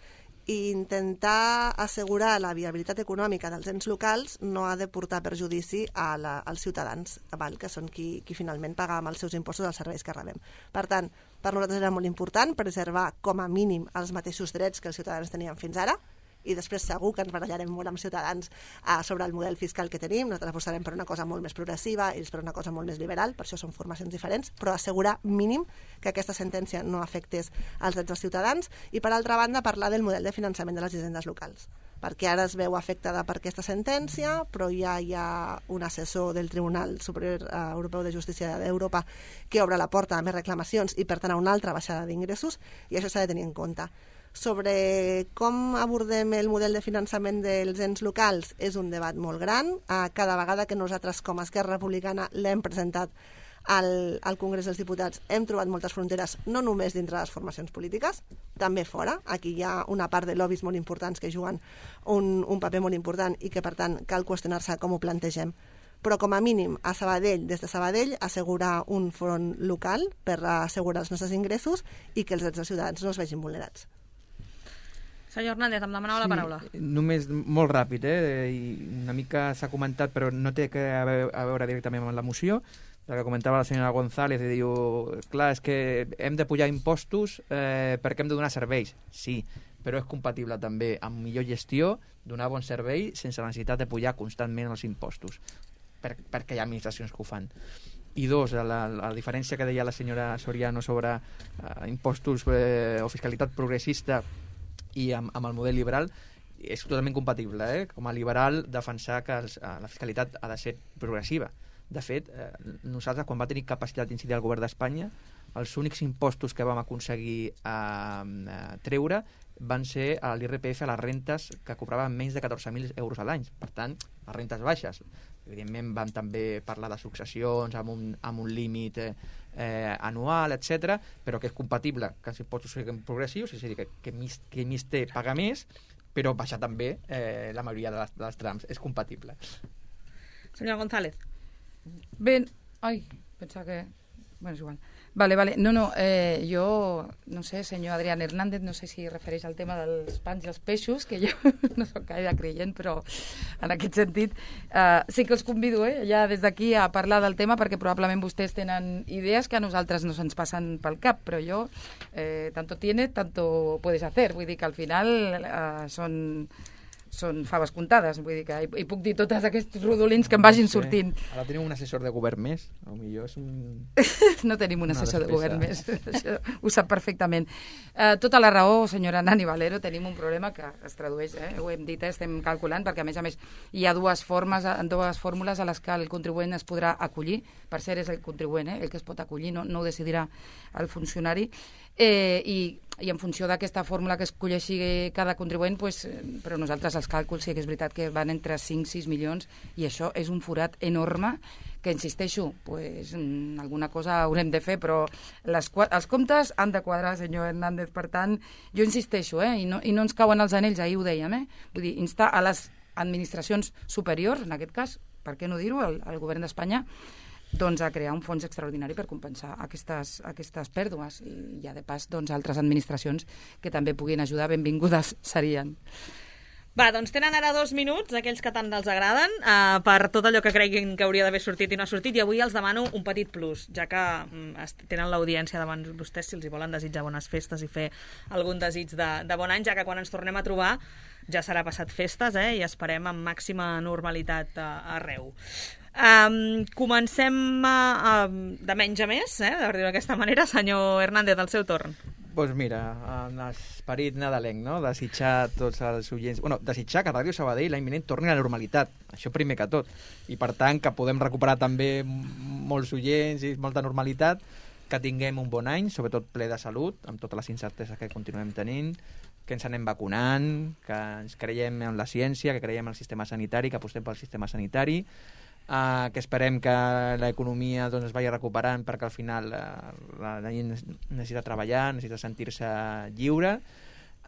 i intentar assegurar la viabilitat econòmica dels ens locals no ha de portar perjudici a la, als ciutadans, val? Que són qui, qui finalment paga amb els seus impostos els serveis que rebem. Per tant, per nosaltres era molt important preservar com a mínim els mateixos drets que els ciutadans tenien fins ara, i després segur que ens barallarem molt amb ciutadans eh, sobre el model fiscal que tenim. Nosaltres apostarem per una cosa molt més progressiva, ells per una cosa molt més liberal, per això són formacions diferents, però assegurar mínim que aquesta sentència no afectés els drets dels ciutadans, i per altra banda parlar del model de finançament de les hisendes locals, perquè ara es veu afectada per aquesta sentència, però ja hi ha un assessor del Tribunal Superior eh, Europeu de Justícia d'Europa que obre la porta a més reclamacions i per tant a una altra baixada d'ingressos, i això s'ha de tenir en compte. Sobre com abordem el model de finançament dels ens locals és un debat molt gran. Cada vegada que nosaltres com a Esquerra Republicana l'hem presentat al, al Congrés dels Diputats hem trobat moltes fronteres, no només dintre les formacions polítiques, també fora. Aquí hi ha una part de lobbies molt importants que juguen un, un paper molt important i que per tant cal qüestionar-se com ho plantegem. Però com a mínim a Sabadell, des de Sabadell, assegurar un front local per assegurar els nostres ingressos i que els drets dels ciutadans no es vegin vulnerats. Senyor Hernández, em demanava sí, la paraula. Només molt ràpid, eh? I una mica s'ha comentat, però no té que a veure directament amb la moció. El que comentava la senyora González, i diu, clar, és que hem de pujar impostos eh, perquè hem de donar serveis. Sí, però és compatible també amb millor gestió, donar bon servei sense la necessitat de pujar constantment els impostos, per, perquè hi ha administracions que ho fan. I dos, la, la diferència que deia la senyora Soriano sobre eh, impostos eh, o fiscalitat progressista i amb, amb el model liberal és totalment compatible, eh? Com a liberal defensar que els, la fiscalitat ha de ser progressiva. De fet, eh, nosaltres quan va tenir capacitat d'incidir el govern d'Espanya, els únics impostos que vam aconseguir eh, eh, treure van ser l'I R P F a les rentes que cobraven menys de catorze mil euros a l'any, per tant, les rentes baixes. Evidentment vam també parlar de successions amb un, amb un límit eh, eh, anual, etcètera, però que és compatible que els impostos siguin progressius, és a dir, que, que més, qui més té paga més, però baixar també eh, la majoria de les, de les trams. És compatible. Senyora González. Bé, ai, pensava que... Bueno, és igual. Vale, vale. No, no, eh, jo, no sé, senyor Adrián Hernández, no sé si refereix al tema dels pans i els peixos, que jo no soc gaire creient, però en aquest sentit eh, sí que els convido, eh, ja des d'aquí a parlar del tema, perquè probablement vostès tenen idees que a nosaltres no se'ns passen pel cap, però jo, eh, tanto tiene, tanto puedes hacer. Vull dir que al final eh, són... són faves comptades, vull dir que hi, hi puc dir tots aquests rodolins que em vagin sortint. Ara tenim un assessor de govern més, o millor és un... No tenim un assessor de govern més, això ho sap perfectament. Uh, tota la raó, senyora Nani Valero, tenim un problema que es tradueix, eh? Ho hem dit, eh? Estem calculant, perquè a més a més hi ha dues formes, dues fórmules a les que el contribuent es podrà acollir. Per cert, és el contribuent, eh? El que es pot acollir, no, no ho decidirà el funcionari. Eh, i, i en funció d'aquesta fórmula que escolleixi cada contribuent, pues, però nosaltres els càlculs sí que és veritat que van entre cinc a sis milions, i això és un forat enorme que, insisteixo, pues, alguna cosa haurem de fer, però les, els comptes han de quadrar, senyor Hernández. Per tant, jo insisteixo, eh, i, no, i no ens cauen els anells, ahir ho dèiem, eh? Vull dir, instar a les administracions superiors, en aquest cas, per què no dir-ho, al, al govern d'Espanya, doncs a crear un fons extraordinari per compensar aquestes, aquestes pèrdues, i ja de pas doncs, altres administracions que també puguin ajudar, benvingudes serien. Va, doncs tenen ara dos minuts, aquells que tant els agraden, eh, per tot allò que creguin que hauria d'haver sortit i no ha sortit, i avui els demano un petit plus, ja que mm, tenen l'audiència davant vostès, si els hi volen desitjar bones festes i fer algun desig de, de bon any, ja que quan ens tornem a trobar ja serà passat festes, eh, i esperem amb màxima normalitat uh, arreu. Um, comencem uh, de menys a més, eh, per dir-ho d'aquesta manera. Senyor Hernández, al seu torn. Doncs pues mira, en esperit nadalenc, no? Desitjar tots els oients... Bueno, desitjar que Ràdio Sabadell l'any vinent torni a la normalitat, això primer que tot. I per tant que podem recuperar també molts oients i molta normalitat, que tinguem un bon any, sobretot ple de salut, amb totes les incerteses que continuem tenint, que ens anem vacunant, que ens creiem en la ciència, que creiem en el sistema sanitari, que apostem pel sistema sanitari, Uh, que esperem que l'economia doncs, es vagi recuperant, perquè al final uh, la, la gent necessita treballar, necessita sentir-se lliure,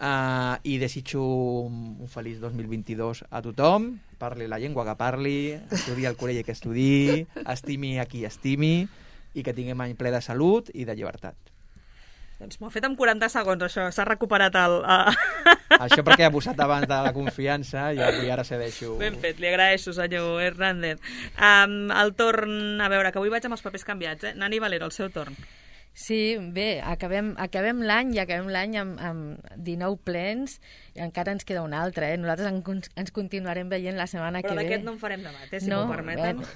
uh, i desitjo un, un feliç dos mil vint-i-dos a tothom, parli la llengua que parli, estudi el col·legi que estudi, estimi a qui estimi, i que tinguem any ple de salut i de llibertat. Doncs m'ho ha fet en quaranta segons, això. S'ha recuperat el... Uh... Això perquè he abusat abans de la confiança i avui ara cedeixo... Ben fet, li agraeixo, senyor Hernández. Um, el torn... A veure, que avui vaig amb els papers canviats, eh? Nani Valero, el seu torn. Sí, bé, acabem, acabem l'any i acabem l'any amb, amb dinou plens i encara ens queda un altre, eh? Nosaltres en, ens continuarem veient la setmana Però que ve. Però d'aquest no en farem debat, eh? Si no, m'ho permeten. Bé.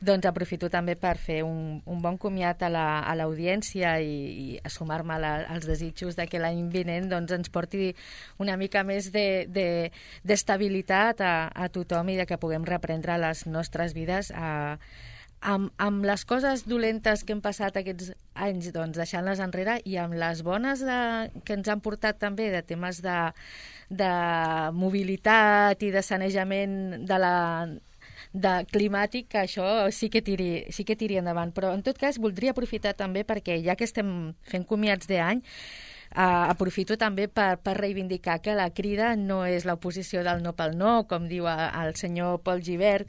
Doncs aprofito també per fer un, un bon comiat a l'audiència la, i, i a sumar-me als desitjos de que l'any vinent doncs, ens porti una mica més d'estabilitat de, de, a, a tothom i de que puguem reprendre les nostres vides a, amb, amb les coses dolentes que hem passat aquests anys, doncs, deixant-les enrere, i amb les bones de, que ens han portat també de temes de, de mobilitat i de sanejament de la de climàtic, que això sí que tiri, sí que tiri endavant. Però, en tot cas, voldria aprofitar també perquè, ja que estem fent comiats d'any, uh, aprofito també per, per reivindicar que la Crida no és l'oposició del no pel no, com diu el senyor Pol Gibert,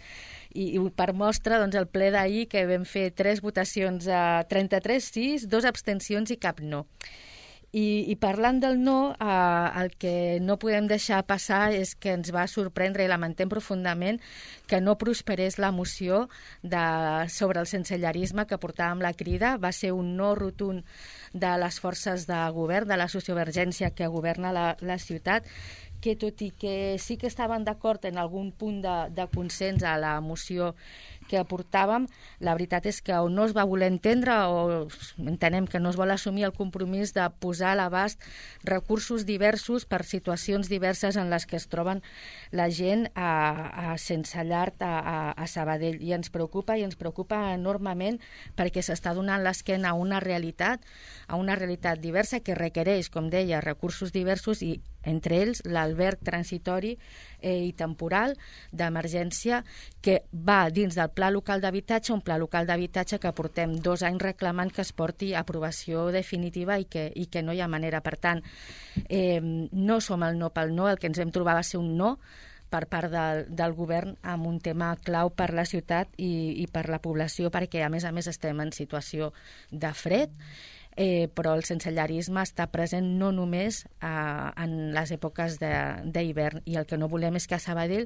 i, i per mostra, doncs, el ple d'ahir, que vam fer tres votacions a trenta-tres sis, dos abstencions i cap no. I, i parlant del no, eh, el que no podem deixar passar és que ens va sorprendre i lamentem profundament que no prosperés la moció de, sobre el sensellarisme que portàvem la Crida. Va ser un no rotund de les forces de govern, de la sociovergència que governa la, la ciutat, que tot i que sí que estaven d'acord en algun punt de, de consens a la moció que aportàvem, la veritat és que o no es va voler entendre o entenem que no es vol assumir el compromís de posar a l'abast recursos diversos per situacions diverses en les que es troben la gent a, a sense llar a, a, a Sabadell. I ens preocupa, i ens preocupa enormement perquè s'està donant l'esquena a una realitat, a una realitat diversa que requereix, com deia, recursos diversos i entre ells l'alberg transitori eh, i temporal d'emergència que va dins del Pla Local d'Habitatge, un Pla Local d'Habitatge que portem dos anys reclamant que es porti a aprovació definitiva i que, i que no hi ha manera. Per tant, eh, no som el no pel no, el que ens vam trobar va ser un no per part del, del govern amb un tema clau per la ciutat i, i per la població, perquè a més a més estem en situació de fred, Eh, però el sensellarisme està present no només eh, en les èpoques d'hivern, i el que no volem és que a Sabadell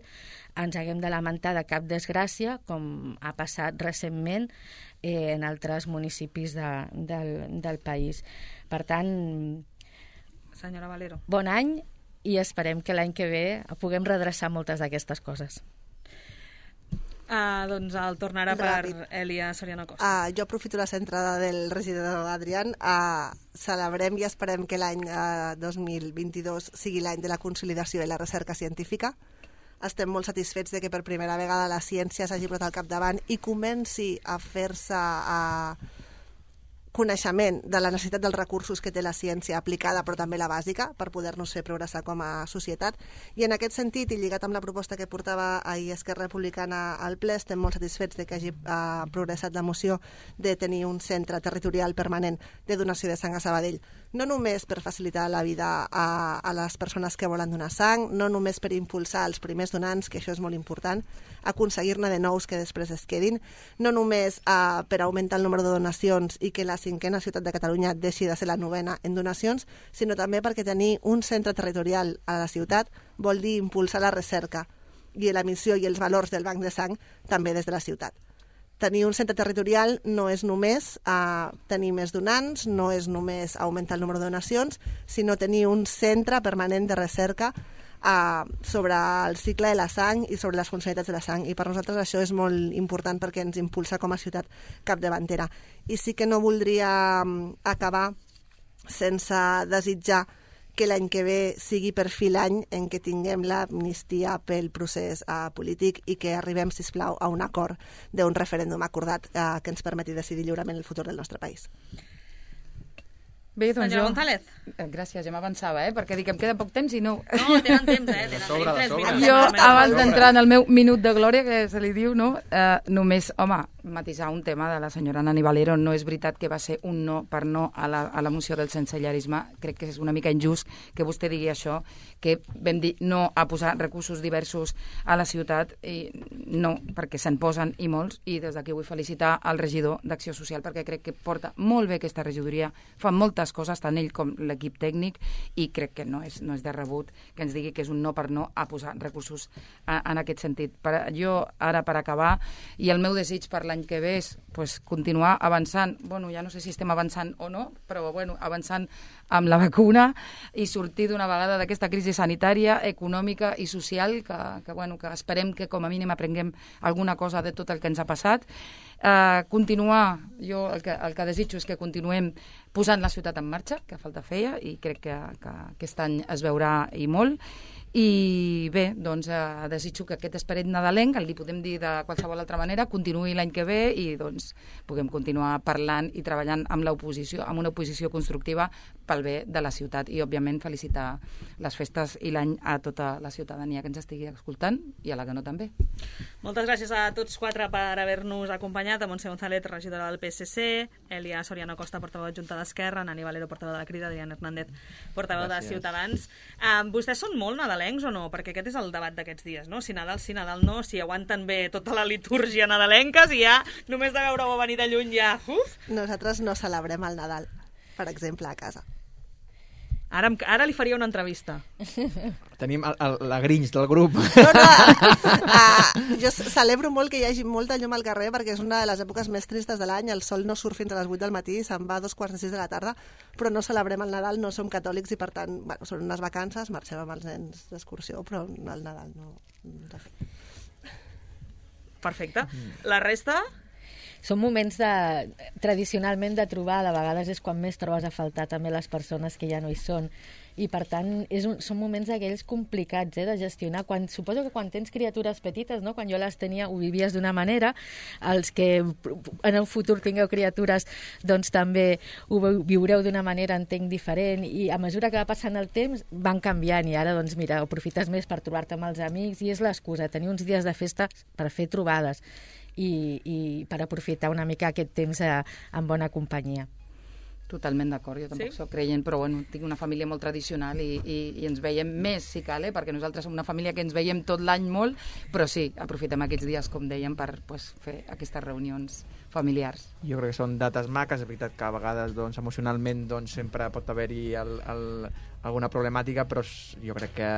ens haguem de lamentar de cap desgràcia, com ha passat recentment eh, en altres municipis de, del, del país. Per tant, senyora Valero, bon any i esperem que l'any que ve puguem redreçar moltes d'aquestes coses. Uh, doncs el tornarà per Elia Soriano Costa. Uh, jo aprofito la centrada del regidor Adrián. Uh, celebrem i esperem que l'any uh, dos mil vint-i-dos sigui l'any de la consolidació i la recerca científica. Estem molt satisfets de que per primera vegada la ciència s'hagi posat al capdavant i comenci a fer-se uh, coneixement de la necessitat dels recursos que té la ciència aplicada, però també la bàsica, per poder-nos fer progressar com a societat. I en aquest sentit, i lligat amb la proposta que portava ahir Esquerra Republicana al ple, estem molt satisfets de que hagi eh, progressat la moció de tenir un centre territorial permanent de donació de sang a Sabadell. No només per facilitar la vida a, a les persones que volen donar sang, no només per impulsar els primers donants, que això és molt important, aconseguir-ne de nous que després es quedin, no només eh, per augmentar el número de donacions i que la cinquena ciutat de Catalunya deixi de ser la novena en donacions, sinó també perquè tenir un centre territorial a la ciutat vol dir impulsar la recerca i la missió i els valors del banc de sang també des de la ciutat. Tenir un centre territorial no és només uh, tenir més donants, no és només augmentar el número de donacions, sinó tenir un centre permanent de recerca uh, sobre el cicle de la sang i sobre les funcionalitats de la sang. I per nosaltres això és molt important perquè ens impulsa com a ciutat capdavantera. I sí que no voldria um, acabar sense desitjar que l'any que ve sigui per fi l'any en què tinguem l'amnistia pel procés uh, polític i que arribem, sisplau, a un acord d'un referèndum acordat uh, que ens permeti decidir lliurement el futur del nostre país. Bé, doncs senyora jo... González. Gràcies, ja m'avançava, eh? Perquè dic que em queda poc temps i no... No, tenen temps, eh? Tenen sobra, tres sobra. minuts. Jo, abans d'entrar en el meu minut de glòria, que se li diu, no? Uh, només, home, matisar un tema de la senyora Nani Valero. No és veritat que va ser un no per no a la, a la moció del sensellarisme. Crec que és una mica injust que vostè digui això, que vam dir no a posar recursos diversos a la ciutat, i no, perquè se'n posen i molts, i des d'aquí vull felicitar al regidor d'Acció Social, perquè crec que porta molt bé aquesta regidoria, fa moltes coses, tant ell com l'equip tècnic, i crec que no és, no és de rebut que ens digui que és un no per no a posar recursos a, en aquest sentit. Per, jo, ara per acabar, i el meu desig per l'any que ve és pues, continuar avançant. Bueno, ja no sé si estem avançant o no, però bueno, avançant amb la vacuna i sortir d'una vegada d'aquesta crisi sanitària, econòmica i social, que, que, bueno, que esperem que com a mínim aprenguem alguna cosa de tot el que ens ha passat. Uh, continuar, jo el que, el que desitjo és que continuem posant la ciutat en marxa, que falta feia, i crec que, que aquest any es veurà i molt. I bé, doncs eh, desitjo que aquest esperit nadalenc, el li podem dir de qualsevol altra manera, continuï l'any que ve i doncs puguem continuar parlant i treballant amb l'oposició, amb una oposició constructiva pel bé de la ciutat, i òbviament felicitar les festes i l'any a tota la ciutadania que ens estigui escoltant i a la que no també. Moltes gràcies a tots quatre per haver-nos acompanyat, a Montse González, regidora del P S C, Elia Soriano Costa, portaveu adjunta d'Esquerra, Nani Valero, portaveu de la Crida, Adrián Hernández, portaveu gràcies. de Ciutadans. Uh, vostès són molt nadalencs o no? Perquè aquest és el debat d'aquests dies, no? Si Nadal sí, Nadal no, si aguanten bé tota la litúrgia nadalenca, si ja només de veure-ho venir de lluny ja... Uf! Nosaltres no celebrem el Nadal, per exemple, a casa. Ara, ara li faria una entrevista. Tenim el, el, la Grinch del grup. No, no, uh, jo celebro molt que hi hagi molta llum al carrer, perquè és una de les èpoques més tristes de l'any. El sol no surt fins a les vuit del matí, se'n va a dos quarts de sis de la tarda, però no celebrem el Nadal, no som catòlics i per tant, bueno, són unes vacances, marxem amb els nens d'excursió, però el Nadal no... Perfecte. La resta... Són moments de, tradicionalment de trobar, de vegades és quan més trobes a faltar també les persones que ja no hi són. I per tant és un, són moments d'aquells complicats eh, de gestionar. Quan, suposo que quan tens criatures petites, no? Quan jo les tenia ho vivies d'una manera, els que en el futur tingueu criatures doncs també ho viureu d'una manera, entenc, diferent, i a mesura que va passant el temps van canviant, i ara doncs mira, aprofites més per trobar-te amb els amics, i és l'excusa, tenir uns dies de festa per fer trobades i, i per aprofitar una mica aquest temps a, en bona companyia. Totalment d'acord, jo tampoc sí? soc creient, però bueno, tinc una família molt tradicional i, i, i ens veiem més, si cal, eh? Perquè nosaltres som una família que ens veiem tot l'any molt, però sí, aprofitem aquests dies, com dèiem, per pues, fer aquestes reunions familiars. Jo crec que són dates maques, és veritat que a vegades doncs, emocionalment doncs, sempre pot haver-hi el, el, alguna problemàtica, però jo crec que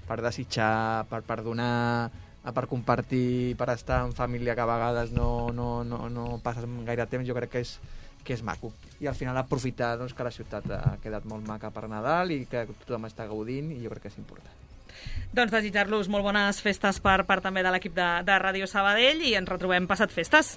per desitjar, per perdonar, per compartir, per estar en família que a vegades no, no, no, no passes gaire temps, jo crec que és que és maco. I al final aprofitar doncs, que la ciutat ha quedat molt maca per Nadal i que tothom està gaudint, i jo crec que és important. Doncs desitjar-los molt bones festes per part també de l'equip de, de Ràdio Sabadell, i ens retrobem passat festes.